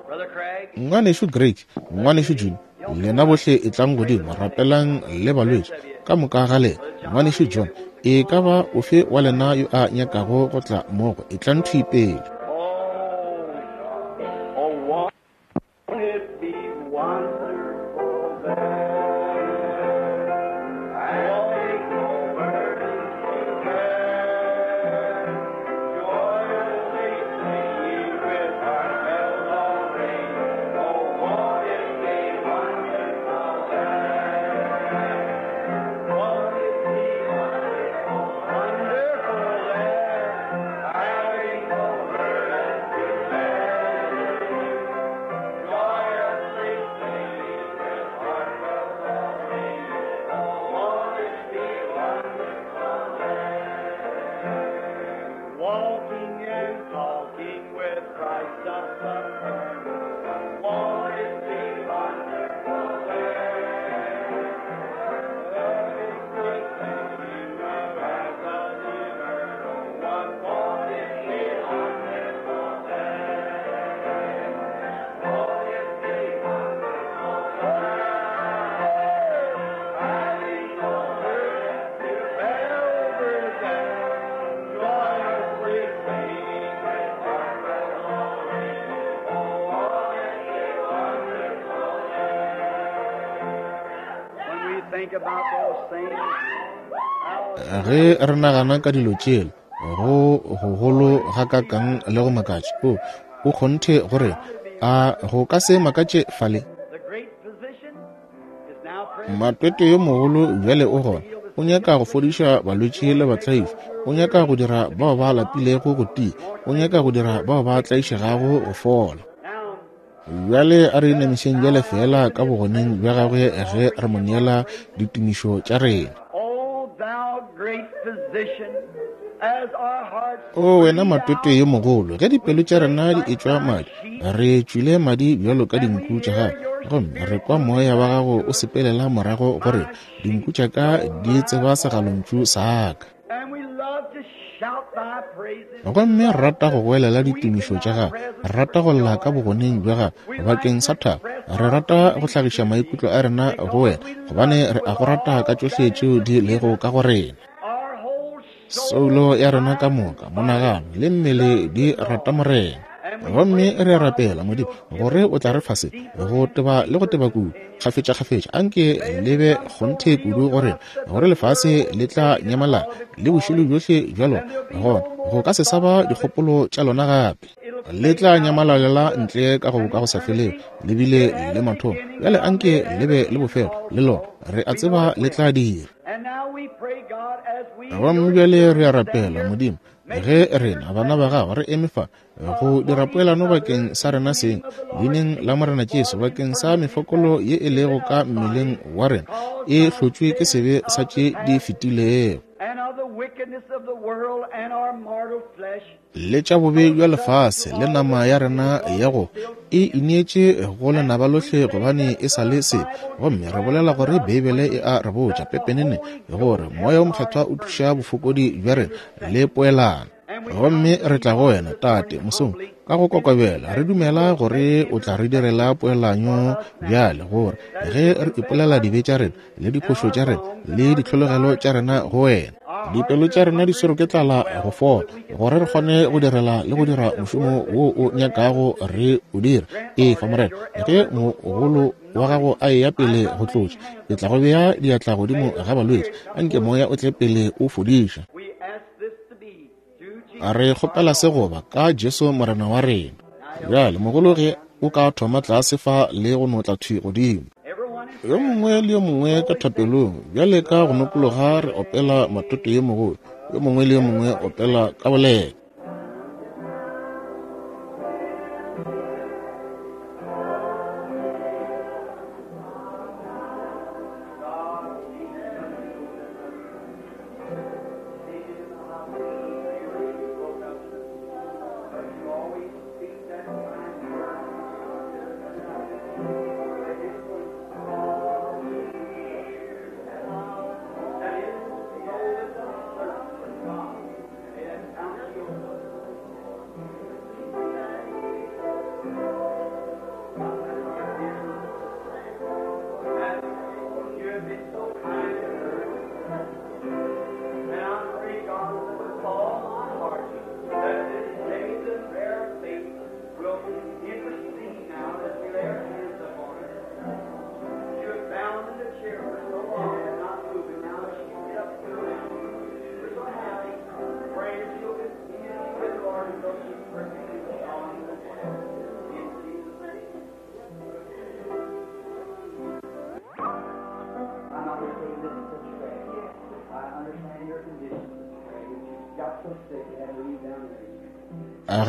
Brother Craig. Ngwanešu Greg, Ngwanešu June, lena bohle etlang godimo, rapelang le balwetši ka moka ga lena. Ngwanešu John, e ka ba ofe wa lena yo a nyakago go tla mmogo, etlang thwi pele. Oh, oh, won't it be wonderful there? Won't no burden to bear? Joyously singing with our bells all ring. Oh, won't it be wonderful there? Won't it be wonderful, wonderful there? Having no burden to bear. Joyously singing with our bells all ring. Oh, won't it be wonderful there? Walking and talking with Christ the Son. Won't it be wonderful there? When we think about those things, how Ge re nagana ka dilo tšela, go gogolo gakakang le go makatša, o o kgonthe gore a go ka se makatše fale. the great physician is now present. Matwetwe yo mogolo bjale o gona. O nyaka go fodiša balwetši le batlaiši. O nyaka go dira bao ba lapilego go tia. O nyaka go dira bao ba tlaišegago go fola. Now, Bjale a re inamišeng bjale fela ka bogoneng bja gagwe ge re mo neela ditumišo tša rena. O thou great physician, O wena matwetwe yo mogolo, ge dipelo tša rena di etšwa madi, re tšwile madi bjalo ka dinku tša gago, gomme re kwa moya wa gago o sepelela morago go rena, dinku tša ka di tseba segalontšu sa ka. Gomme re rata go goelela ditumišo tša gago, re rata go lla ka bogoneng bja gago bakeng sa thabo, re rata go hlagiša maikutlo a rena go wena, gobane re a go rata ka tšohle tšeo di lego ka go rena. Soulo ya rena ka moka, monagano le mmele di rata Morena. Gomme re a rapela, Modimo, gore o tla re fa se, go teba le go teba kudu, kgafetšakgafetša. Anke le be kgonthe kudu go rena, gore lefase le tla nyamalala le bošilo bjohle bja lona, gona go ka se sa ba dikgopolo tša lona gape. Le tla nyamalalela ntle ka go ka go sa felego, le bile le mathomo. Bjale anke le be le bofelo le lona, re a tseba le tla dira. Gomme bjale re a rapela, Modimo, ge rena bana ba gago re eme fa go dira poelano bakeng sa rena seng, leineng la Morena Jesu, bakeng sa mefokolo ye e lego ka mmeleng wa rena e hlotšwe ke sebe sa tše di fetilego le tša bobe bja lefase le nama ya rena ya go e ineetše go lenaba lohle, gobane e sa le sebe. Gomme re bolela gore Beibele e a re botša pepenene gore Moya o Mokgethwa o thuša bofokodi bja rena le poelano. Gomme re tla go wena, Tate, mosong, ka go kokobela, re dumela gore o tla re direla poelanyo bjale, gore ge re ipolela dibe tša rena le diphošo tša rena le ditlhologelo tša rena go wena, dipelo tša rena di swerwe ke tlala go fola, gore re kgone go direla le go dira mošomo wo o nyakago re o dira. Efa, Morena, ge mogolo wa gago a eya pele go tlotša, ke tla go bea diatla godimo ga balwetši, anke moya o tle pele o fodiša. Re kgopela se goba ka Jesu Morena wa rena. Bjale mogolo ge o ka thoma tlase fa le go notla thwi godimo, yo mongwe le yo mongwe ka thapelong bjale ka go nokologa re opela matoto yo mogolo, yo mongwe le yo mongwe opela ka boleta.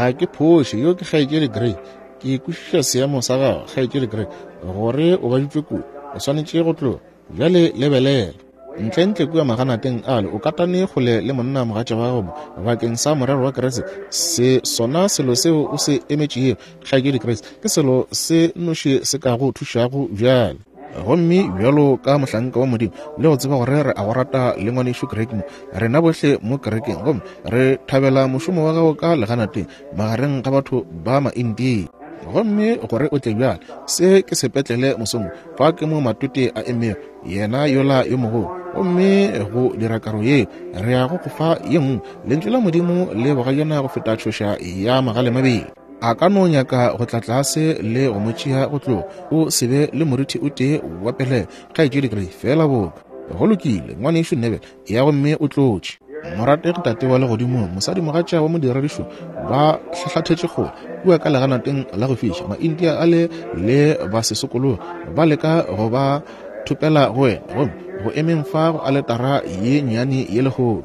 Ga ke phoše, yo ke Kgaetšedi Gray. Ke kwešiša seemo sa gago, Kgaetšedi Gray, gore o baditšwe kudu, o swanetše go tloga. Bjale lebelela. Ntlentle kua maganateng ale, o katane kgole le monna mogatša wa gago mo, bakeng sa morero wa Kriste. Se sona selo seo o se emetšego, Kgaetšedi Gray, ke selo se nnoši se ka go thušago bjale. Gomme bjalo ka mohlanka wa Modimo, le go tseba gore re a go rata le ngwanešu Greg mo, rena bohle mo kerekeng, gomme re thabela mošomo wa gago ka leganateng magareng ga batho ba Maindia. Gomme gore o tle bjale, se ke sepetlele mosong, fa ke mo matwete a emego, yena yola yo mogolo. Gomme go dira karo yeo, re ya go go fa ye nngwe. Lentšu la Modimo le bogajana go feta tšhoša ya magale mabedi. A ka no nyaka go tla tlase le go mo tšea go tloga, o se be le morithi o tee wa pelego, Kgaetšedi Gray, feela boka. Go lokile, Ngwanešu Neville, eya gomme o tlotše. Morategi Tate wa Legodimong, mosadimogatša wa modiradišo ba hlahlathetše kgole kua ka leganateng la go fiša, Maindia ale le ba sesokologe ba leka go ba thopela go wena, gomme go emeng fa go aletara ye nnyane ye lehono.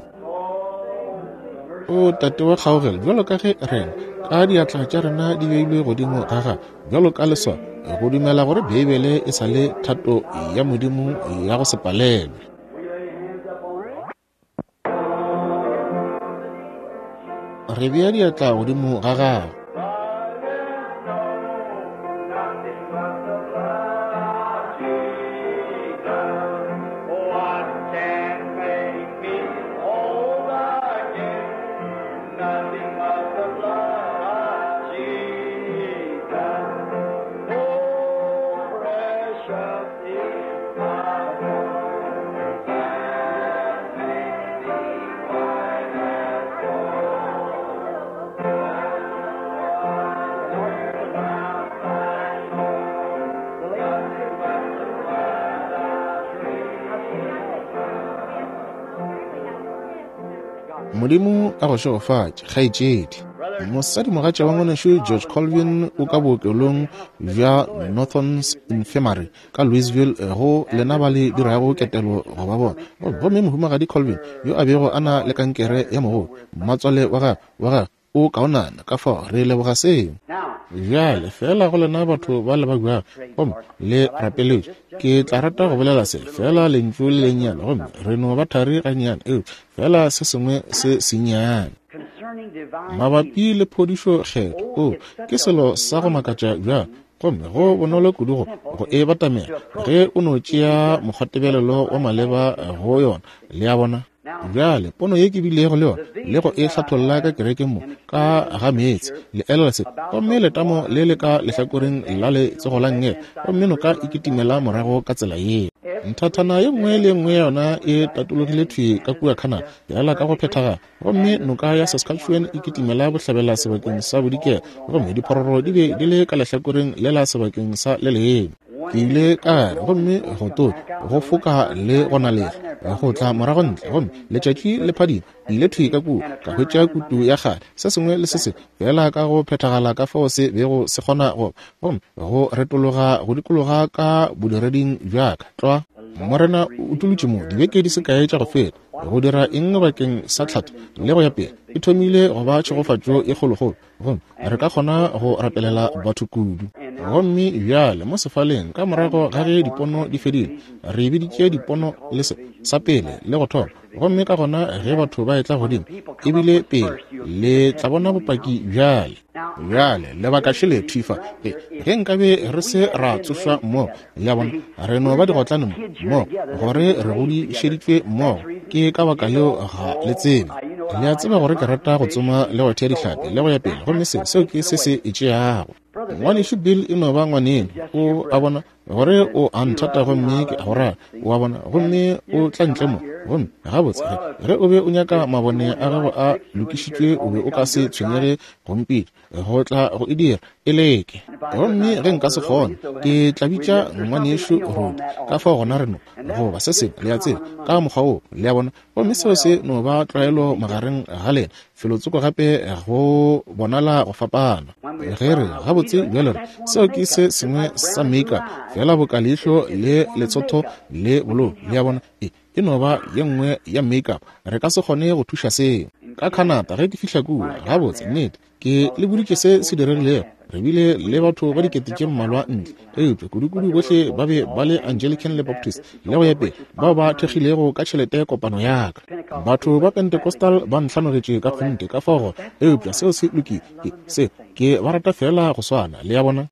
O Tate wa kgaogelo, bjalo ka ge rena ka diatla tša rena di beilwe godimo ga gago bjalo ka leswao, go dumela gore Beibele e sa le thato ya Modimo ya go se palelwe. Re bea diatla godimo ga gago. Modimo a go šegofatše, kgaetšedi. Mosadimogatša wa ngwanešu George Colvin o ka bookelong bja Northern's Infirmary ka Louisville go lena ba le dirago ketelo go ba bona. Gomme mohumagadi Colvin yo a bego a na le kankere ya mogodu, mmatswale wa gagwe, wa gagwe o kaonana, ka fao re leboga seo. Bjale, feela go lena batho ba le ba buago gomme le rapeletše, ke tla rata go bolela se, feela lentšu le lennyane, gomme re no ba thari gannyane, eupša feela se sengwe se sennyane. Mabapi le phodišo Kgethwa, oo, ke selo sa go makatša bjang, gomme go bonolo kudu go, go e batamela ge o no tšea mokgwatebelelo wa maleba go yona, le a bona. Bjale, pono ye ke bilego le yona le go e hlatholla ka kerekeng mo, ka ga meetse, le elelwa se, gomme letamo le le ka lehlakoreng la letsogo la nngele, gomme noka e kitimela morago ka tsela yeo. Nthathana ye nngwe le ye nngwe ya yona e tatologile thwi ka kua Canada, feela ka go phethagala. Gomme noka ya Saskatchewan e kitimela bohlabela sebakeng sa bodikela, gomme diphororo di be di le ka lehlakoreng le la sebakeng sa le lengwe. Ke ile ka gare, gomme go tonya, go foka le go nalega, go tla morago ntle, gomme letšatši le phadima. Ke ile thwi ka kua, ka hwetša kutu ya kgale, se sengwe le se sengwe, feela ka go phethagala ka fao se bego se kgona go ba, gomme go retologa go dikologa ka bodireding bja ka, tlwa. Morena o utolotše mo, dibeke di se kae tša go feta, go dira eng bakeng sa tlhatho le go ya pele, e thomile go ba tšhegofatšo e kgolokgolo, gomme re ka kgona go rapelela batho kudu. Gomme bjale mo sefaleng, ka morago ga ge dipono di fedile, re biditše dipono le se, sa pele le go thoma, gomme ka gona ge batho ba etla godimo, e bile pele, le tla bona bopaki bjale. Bjale, lebaka šele thwi fa, ge, ge nkabe re se ra tsošwa mmogo, le a bona, re no ba digotlane mo, mmogo, gore re godišeditšwe mmogo, ke ka baka leo ga le tsebe. Le a tseba gore ke rata go tsoma le go thea dihlapi le go ya pele, gomme seo, seo ke se se e tšeago. Ngwanešu Bill e no ba ngwaneno, o a bona, gore o a nthata gomme ke a go rata, o a bona, gomme o tla ntle mo. Gomme gabotse, ge, ge o be o nyaka mabone a gago a lokišitšwe, o be o ka se tshwenyege go mpitša go tla go e dira, e leke. Gomme ge nka se kgone, ke tla bitša ngwanešu Rudi, ka fao gona re no, goba se sengwe, le a tseba, ka mokgwa woo, le a bona. Gomme seo se no ba tlwaelo magareng ga lena, felotsoko gape go bonala go fapana. Ge re, gabotse, bjale re, seo ke se sengwe sa make-up, feela boka leihlo le letsotho le bolou, le a bona, e, e no ba ye nngwe ya make-up. Re ka se kgone go thuša seo. Ka Canada, ge ke fihla kua, gabotse, nnete, Ke le boditše se se diregilego. Re bile le batho ba dikete tše mmalwa ntle, eupša kudukudu bohle ba be ba le Anglican le Baptist le go ya pele, bao ba thekgilego ka tšhelete kopano ya ka. Batho ba Pentecostal ba ntlhanogetše ka kgonthe, ka fao gore, eupša seo se lokile. Ke, se, ke ba rata feela go swana, le a bona.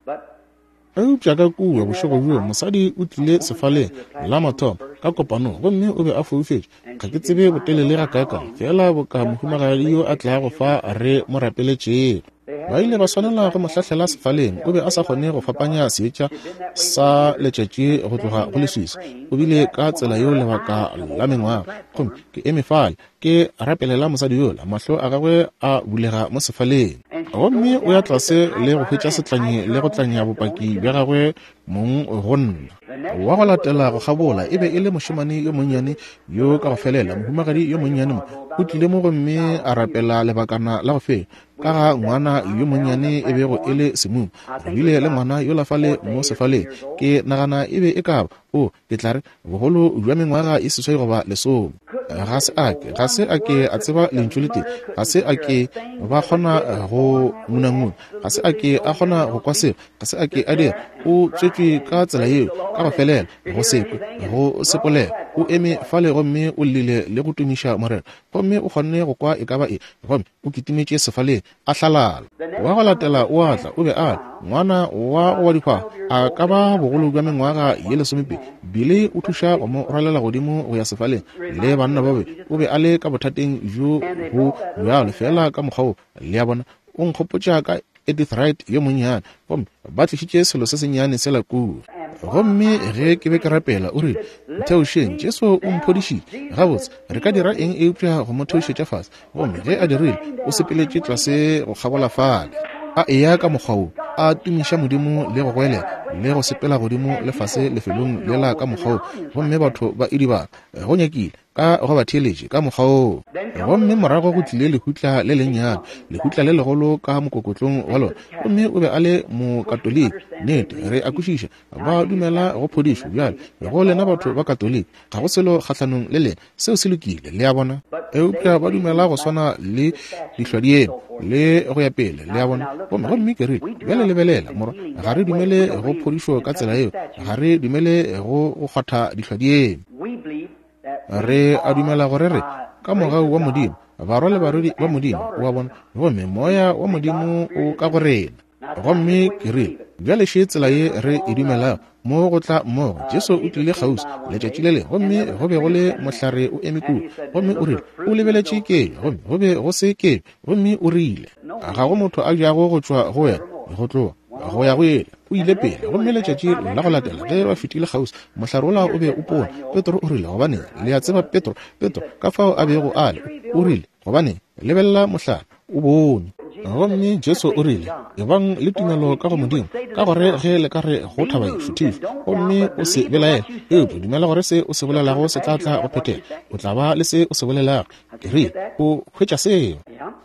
Eupša ka kua bošego bjoo mosadi o tlile sefaleng la mathomo ka kopanong, gomme o be a foufetše. Ga ke tsebe botelele gakaakang, feela boka mohumagadi yo a tlago fa re mo rapeletšego. Ba ile ba swanela go mo hlahlela sefaleng. O be a sa kgone go fapanya seetša sa letšatši go tloga go leswiswi. O bile ka tsela yeo lebaka la mengwaga. Gomme ke eme fale ke rapelela mosadi yola, mahlo a gagwe a bulega mo sefaleng. Gomme o ya tlase le go hwetša setlanyi le go tlanya bopaki bja gagwe mong go nna. Wa go latela go kgabola e be e le mošemane yo monnyane yo ka go felela, mohumagadi yo monnyane mo, o tlile mo gomme a rapela lebakana la go feta ka ga ngwana yo monnyane e bego e le semumu. Re bile le ngwana yola fale mo sefaleng, ke nagana e be e ka ba. O, ke tla re, bogolo bja mengwaga e 8 goba 10. Ga se a ke, ga se a ke a tseba lentšu le tee. Ga se a ke ba kgona go ngunanguna. Ga se a ke a kgona go kwa selo. Ga se a ke a dira. O tswetšwe ka tsela yeo, ka go felela, go se kwe, go se polelo. O eme fale gomme o llile le go tumiša Morena. Gomme o kgonne go kwa e ka ba eng, gomme o kitimetše sefaleng, a hlalala. Wa go latela o a tla, o be a le ngwana wa go wa dihwahwa, a ka ba bogolo bja mengwaga ye 12. Billy o thuša go mo rwalela godimo go ya sefaleng le banna ba be. O be a le ka bothateng bjo bo bjalo feela ka mokgwa wo, le a bona. O nkgopotša ka Edith Wright yo monnyane, gomme ba tlišitše selo se sennyane sela kua. Gomme ge ke be ke rapela, o rile, Ntheošeng, Jesu o mphodišitše. Gabotse, re ka dira eng eupša go mo theošetša fase? Gomme ge a dirile, o sepeletše tlase go kgabola fale, a eya ka mokgwa wo, a tumiša Modimo le go goelela, le go sepela godimo le fase lefelong lela ka mokgwa wo, gomme batho ba idibala, go nyakile, ka go ba theeletše ka mokgwa woo. Gomme morago go tlile lehutla le lennyane, lehutla le legolo ka mokokotlong wa lona, gomme o be a le Mokatoliki. Nnete, re a kwešiša, ba dumela go phodišo. Bjale, go lena batho ba Katoliki, ga go selo kgahlanong le lena, seo se lokile, le a bona. Eupša ba dumela go swana le dihlwadieme le go ya pele, le a bona. Gomme, gomme ke rile, bjale lebelela, morwa, ga re dumele go phodišo ka tsela yeo, ga re dumele go go kgwatha dihlwadieme. Re a dumela gore re, ka mogau wa Modimo, barwa le barwedi ba Modimo, o a bona, gomme Moya wa Modimo o ka go rena. Gomme ke rile, bjale še tsela ye re e dumelago, mo go tla mmogo. Jesu o tlile kgauswi letšatši le lengwe, gomme go be go le mohlare o eme kua, gomme o rile, o lebeletše kenywa, gomme go be go se kenywa, gomme o rile, ga go motho a jago go tšwa go wena go tloga go ya go ele. O ile pele, gomme letšatši la go latela ge ba fetile kgauswi, mohlare wola o be o pona. Petro o rile, gobaneng, le a tseba Petro, Petro, ka fao a bego a le, o rile, gobaneng, lebelela mohlare, o bone. Gomme Jesu o rile, ebang le tumelo ka go Modimo, ka gore ge le ka re go thaba ye, šuthišwa, gomme o se belaele, eupša dumela gore se o se bolelago se tla tla go phethega, o tla ba le se o se bolelago. Ke rile, o hwetša seo.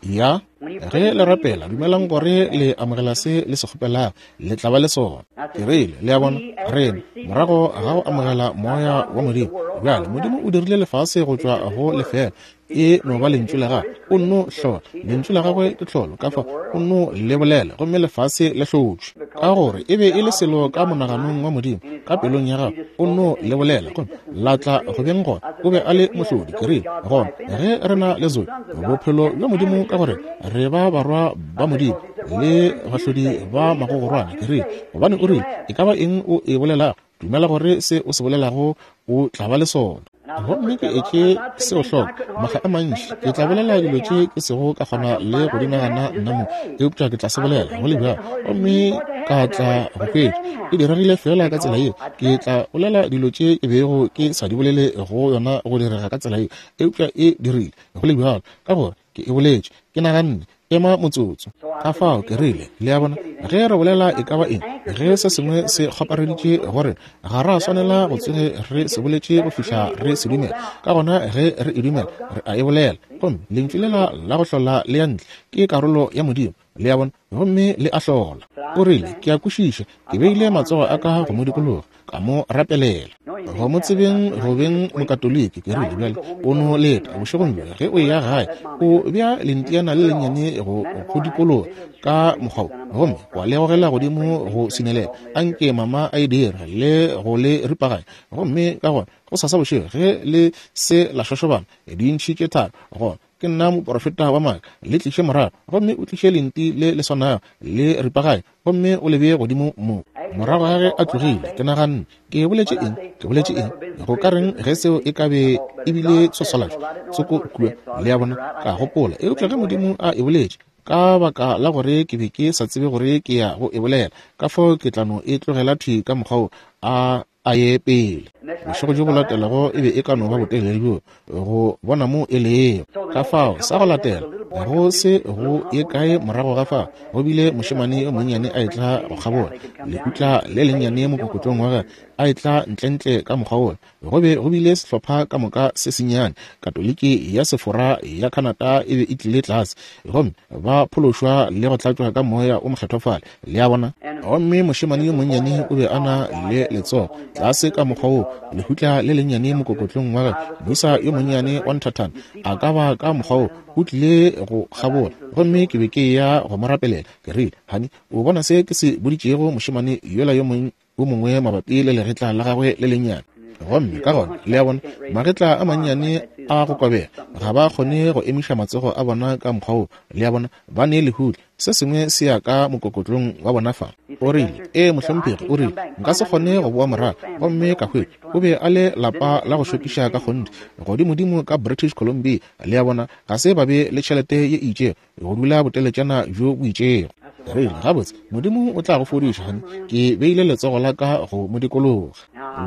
Ya. Ge le rapela, dumelang gore le amogela se le se kgopelago, le tla ba le sona. Ke rile, le a bona, rena, morago ga go amogela Moya wa Modimo, bjale Modimo o dirile lefase go tšwa go lefeela, e no ba lentšu la gagwe, o nno hlola. Lentšu la gagwe ke tlholo, ka fao o nno le bolela, gomme lefase le hlotšwe. Ka gore e be e le selo ka monaganong wa Modimo, ka pelong ya gagwe, o nno le bolela, gomme la tla go beng gona. O be a le mohlodi. Ke rile, gona ge re na le Zoe, bophelo bja Modimo, ka gore re ba barwa ba Modimo le bahlodi ba magogorwane. Ke rile, gobane o rile, e ka ba eng o e bolelago, dumela gore se o se bolelago o tla ba le sona. Gomme ke etše seo hloko makga a mantši. Ke tla bolela dilo tše ke sego ka kgona le go di nagana nna mo, eupša ke tla se bolela go le bjalo, gomme ka tla go hwetša e diregile feela ka tsela yeo. Ke tla bolela dilo tše ke bego ke sa di bolele go yona go direga ka tsela yeo, eupša e dirile go le bjalo, ka gore ke e boletše. Ke naganne, ema motsotso. Ka fao ke rile, le a bona, ge re bolela e ka ba eng, ge se sengwe se kgopareditše go rena, ga ra swanela go tsoge re se boletše go fihla re se dumela. Ka gona ge re e dumela, re a e bolela. Gomme lentšu lela la go hlola le ya ntle, ke karolo ya Modimo, le a bona, gomme le a hlola. O rile, ke a kwešiša. Ke beile matsogo a ka go mo dikologa, ka mo rapelela. Go mo tsebeng go beng Mokatoliki, ke rile, bjale o no leta bošegong bjo ge o eya gae, o bea lentiana le lennyane go go dikologa ka mokgwa wo, gomme wa le gogela godimo go swinelela. Anke mama a e dire le go le ripaganya. Gomme ka gona gosasa bošego ge le se la šošobana dintšhi tše tharo, gona ke nna moprofeta wa maaka, le tliše morago, gomme o tliše lenti le le swanago le ripaganya, gomme o le bee godimo mo. Morago ga ge a tlogile, ke naganne, Ke boletše eng? Ke boletše eng? Go ka reng ge seo e ka be e bile tshwaswalatšo tsoko kua? Le a bona? Ka gopola, eupša ge Modimo a e boletše, ka baka la gore ke be ke sa tsebe gore ke ya go e bolela, ka fao ke tla no e tlogela thwi ka mokgwa wo a a ye pele. Bošego bjo bo latelago e be e ka no ba botelele bjo go bona mo e lego. Ka fao sa go latela, go se go ye kae morago ga fao, go bile mošemane yo monnyane a etla go kgabola, lekutla le lennyane mokokotlong wa gagwe, a etla ntlentle ka mokgwa wola. Go be go bile sehlopha ka moka se sennyane, Katoliki ya Sefora ya Canada e be e tlile tlase, gomme ba phološwa le go tlatšwa ka Moya o Mokgethwa fale, le a bona. Gomme mošemane yo monnyane o be a na le letsogo. Tlase ka mokgwa wo, lehutla le lennyane mokokotlong wa gagwe, moisa yo monnyane wa nthathana, a ka ba ka mokgwa wo, o tlile go kgabola. Gomme ke be ke eya go mo rapelela. Ke rile, Hani, o bona se ke se boditšego mošemane yola yo mongwe mabapi le legetla la gagwe le lennyane? Gomme ka gona, le a bona, magetla a mannyane a go kobega, ga ba kgone go emiša matsogo a bona ka mokgwa wo, le a bona, ba ne lehutla. Se sengwe se ya ka mokokotlong wa bona fa. O rile, Ee, mohlomphegi, o rile, Nka se kgone go boa morago. Gomme ka hwetša, o be a le lapa la go šokiša ka kgonthe, godimodimo ka British Columbia, le a bona, ga se ba be le tšhelete ye e itšego, go dula boteletšana bjo bo itšego. Rile, Gabotse, Modimo o tla go fodiša, honey. Ke beile letsogo la ka go mo dikologa.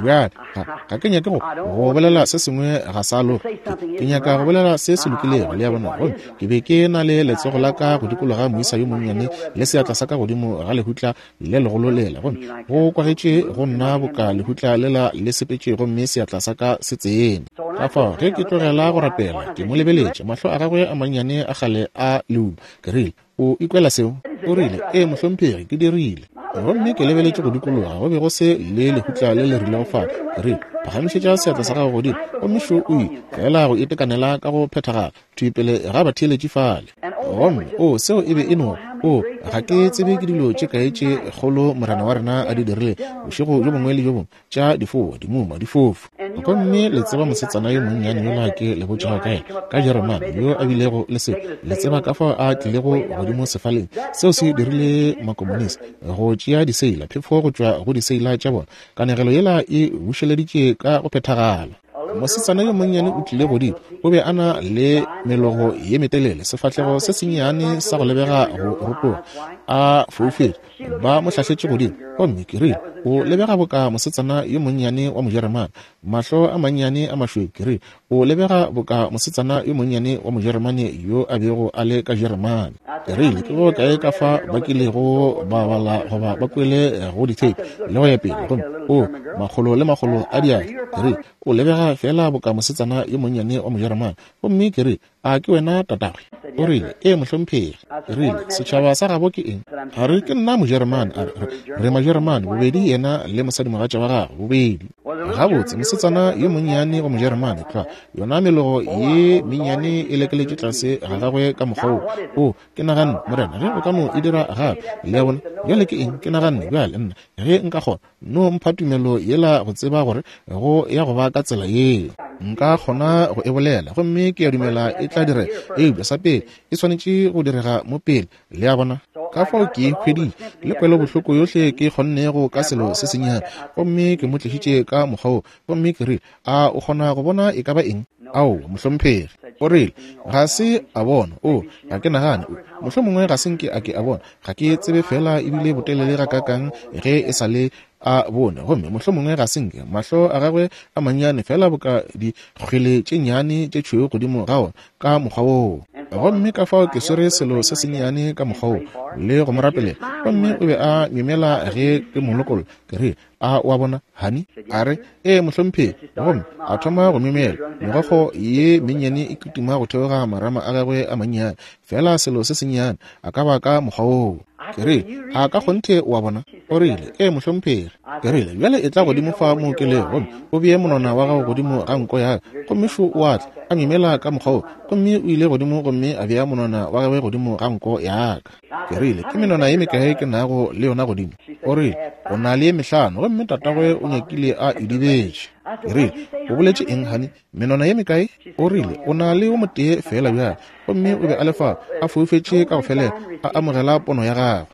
Bjale, ga, ga ke nyake go, go bolela se sengwe ga sa loka. Ke, ke nyaka go bolela se se lokilego, le a bona. Gomme ke be ke na le letsogo la ka go dikologa moisa yo monnyane, le seatla sa ka godimo ga lehutla le legolo lela. Gomme go kwagetše go nna boka lehutla lela le sepetše gomme seatla sa ka se tsene. Ka fao, ge ke tlogela go rapela, ke mo lebeletše, mahlo a gagwe a mannyane a kgale a leuma. Ke rile, O ikwela seo? O rile, Ee, mohlomphegi, ke dirile. Gomme ke lebeletše go dikologa, go be go se le lehutla le le rilego fale. Ke rile, Phagamišetša seatla sa gago godimo. Gomme šo o ile, feela go itekanela ka go phethagala, thwi pele ga batheeletši fale. Gomme, oo, seo e be e no, oo, ga ke tsebe ke dilo tše kae tše kgolo Morena wa rena a di dirile, bošego bjo bongwe le bjo bongwe, tša difoa, dimuma, difofu. Gomme le tseba mosetsana yo monnyane yola ke le botšago ka yena, ka Jeremane, yo a bilego le seo. Le tseba ka fao a tlilego godimo sefaleng. Seo se dirile makomonisi go tšea diseila, phefo go tšwa go diseila tša bona. Kanegelo yela e bušeleditše ka go phethagala. Mosetsana yo monnyane o tlile godimo. O be a na le melogo ye metelele, sefahlego se sennyane sa go lebega go rotoga, a foufetše. Ba mo hlahletše godimo. Gomme ke rile, O lebega boka mosetsana yo monnyane wa Mojeremane. Mahlo a mannyane a mašweu. Ke rile, O lebega boka mosetsana yo monnyane wa Mojeremane yo a bego a le ka Jeremane. Ke rile, Ke go kae ka fa ba kilego ba bala goba ba kwele go ditheipi, le go ya pele, gomme, oo, makgolo le makgolo a diatla. Ke rile, O lebega feela boka mosetsana yo monnyane wa Mojeremane. Gomme ke rile, A ke wena tatagwe? O rile, Ee, mohlomphegi. Ke rile, Setšhaba sa gabo ke eng? A re, Ke nna Mojeremane. A re, Re, re Majeremane, bobedi yena le mosadimogatša wa gagwe, bobedi. Gabotse, mosetsana yo monnyane wa Mojeremane, tlwa, yona melogo ye mennyane e lekeletše tlase ga gagwe ka mokgwa wo. O, ke naganne, Morena, ge o ka no e dira gape. Le a bona? Bjale ke eng? Ke naganne, Bjale, nna, ge nka kgona, No mpha tumelo yela go tseba gore go ya go ba ka tsela yeo. Nka kgona go e bolela, gomme ke a dumela e tla direga. Eupša sa pele, e swanetše go direga mo pele, le a bona. Ka fao ke e hweditše, le kwelobohloko yohle ke kgonnego ka selo se sennyane, gomme ke mo tlišitše ka mokgwa wo. Gomme ke rile, A o kgona go bona e ka ba eng? Aowa, mohlomphegi. O rile, Ga se a bona. O, ga ke nagane. O, mohlomongwe ga se nke a ke a bona. Ga ke tsebe feela e bile botelele gakaakang ge e sa le a bone. Gomme mohlomongwe ga se nke. Mahlo a gagwe a mannyane, feela boka dikgwele tše nnyane tše tšhweu godimo ga ona, ka mokgwa woo. Gomme ka fao ke swere selo se sennyane ka mokgwa woo, le go mo rapelela. Gomme o be a myemyela ge ke mo lokolla. Ke rile, A o a bona, honey? A re, Ee, mohlomphegi. Gomme a thoma go myemyela, megokgo ye mennyane e kitima go theoga marama a gagwe a mannyane, feela selo se sennyane, a ka ba ka mokgwa woo. Ke rile, A ka kgonthe o a bona? O rile, Ee, mohlomphegi. Ke rile, Bjale etla godimo fa mo ke lego, gomme o bee monwana wa gago godimo ga nko ya ka. Gomme šo o a tla, a myemyela ka mokgwa woo, gomme o ile godimo gomme a bea monwana wa gagwe godimo ga nko ya ka. Ke rile, Ke menwana ye mekae ke nago le yona godimo? O rile, O na le ye mehlano, gomme tatagwe o nyakile a idibetše. Ke rile, O boletše eng, honey? Menwana ye mekae? O rile, O na le o motee feela bjale. Gomme o be a le fao, a foufetše ka go felela, a amogela pono ya gagwe.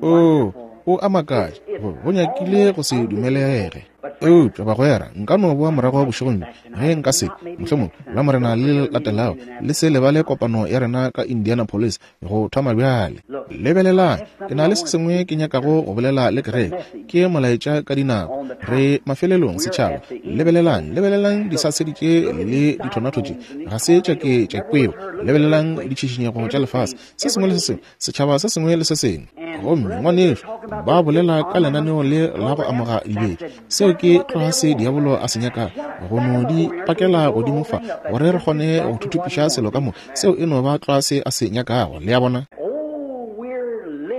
Oo, o a makatša, go, go nyakile go se dumelege. Eupša, bagwera, nka no boa morago bošegong bjo, ge nka se, mohlomongwe, Lamorena le le latelago. Le se lebale kopano ya rena ka Indianapolis, go thoma bjale. Lebelelang, ke na le se sengwe ke nyakago go bolela le kereke. Ke molaetša ka dinako. Re mafelelong, setšhaba. Lebelelang, lebelelang disasedi tše le dithonatho tše. Ga se tša ke tša kwewa. Lebelelang ditšhišinyego tša lefase, se sengwe le se sengwe. setšhaba se sengwe le se sengwe. Gomme, ngwanešu, ba bolela ka lenaneo le la go amoga dibetša. Seo ke tloga se diabolo a se nyakago, go no di pakela godimo fa, gore re kgone go thuthupiša selo ka moka. Seo e no ba tlwa se a se nyakago, le a bona.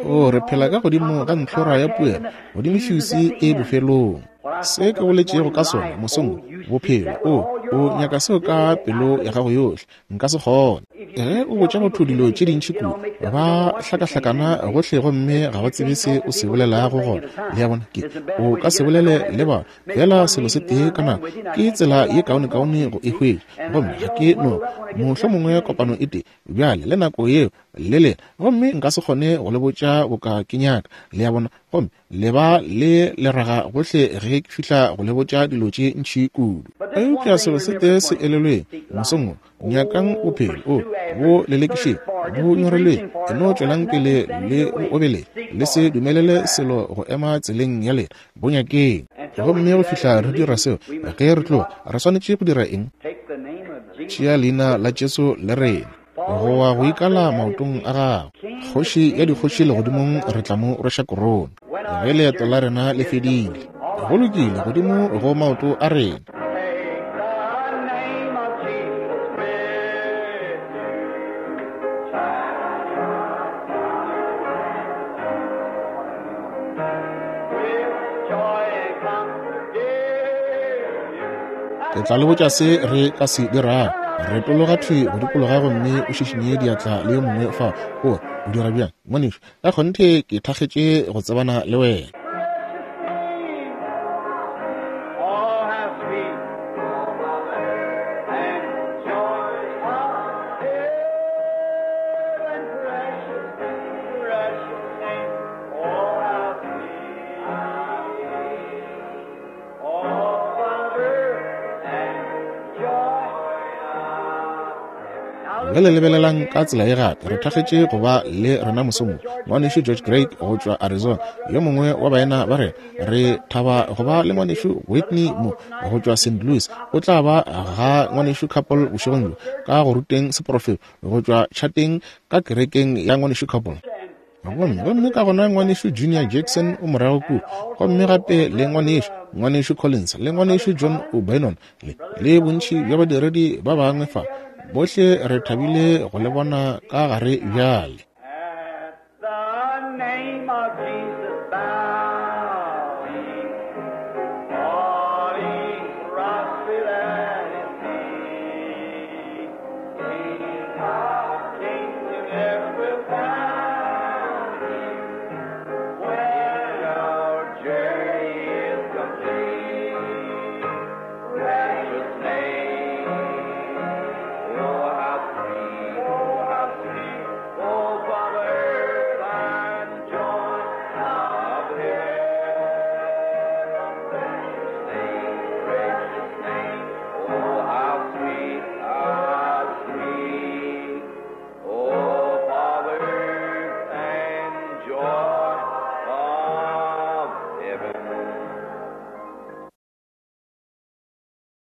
O, re phela ka godimo ga ntlhora ya puelo, godimo fuse e bofelong. Se ke boletšego ka sona mosong wo, bophelo, o, o nyaka seo ka pelo ya gago yohle. Nka se kgone. Ge o botša motho dilo tše dintši kudu, ba hlakahlakana gohle gomme ga ba tsebe se o se bolelago gona. Le a bona? Ke, o ka se bolele le ba feela selo se tee ka nako. Ke tsela ye kaonekaone go e hwetša. Gomme ga ke no, mohlomongwe kopano e tee bjale le nako yeo le lena, gomme nka se kgone go le botša boka ke nyaka. Le a bona? Gomme le ba le leraga gohle ge ke fihla go le botša dilo tše ntši kudu. Eupša selo se tee se elelweng mosong wo, nyakang bophelo, o bo lelekišeng, bo nyorelweng, e no tšwelang pele le bo obeleng, le se dumelele selo go ema tseleng ya lena, bo nyakeng. Gomme go fihla re dira seo, ge re tloga, re swanetše go dira eng? Tšea leina la Jesu le rena. Go wa go ikala maotong a gagwe. Kgoši ya dikgoši legodimong re tla mo rweša korone. Ge leeto la rena le fedile. Go lokile, godimo go maoto a rena. Ke tla le botša se re ka se dirago. Retologa thwi go dikologa gomme o šišinye diatla le yo mongwe fa. O, o dira bjang, ngwanešu? Ka kgonthe ke thakgetše go tsebana le wena. Bjale lebelelang ka tsela ye gape. Re thakgetše go ba le rena mosong wo, Ngwanešu George Craig go tšwa Arizona, yo mongwe wa baena ba rena. Re thaba go ba le Ngwanešu Whitney mo go tšwa St. Louis. O tla ba ga Ngwanešu Couple bošegong bjo ka go ruteng seprofeto go tšwa tšhateng ka kerekeng ya Ngwanešu Couple. Gomme, gomme ka gona Ngwanešu Junior Jackson o morago kua, gomme gape le Ngwanešu, Ngwanešu Collins, le Ngwanešu John O'Bannon, le, le bontši bja badiredi ba bangwe fa. Bohle re thabile go le bona ka gare bjale. At the name of Jesus, bow.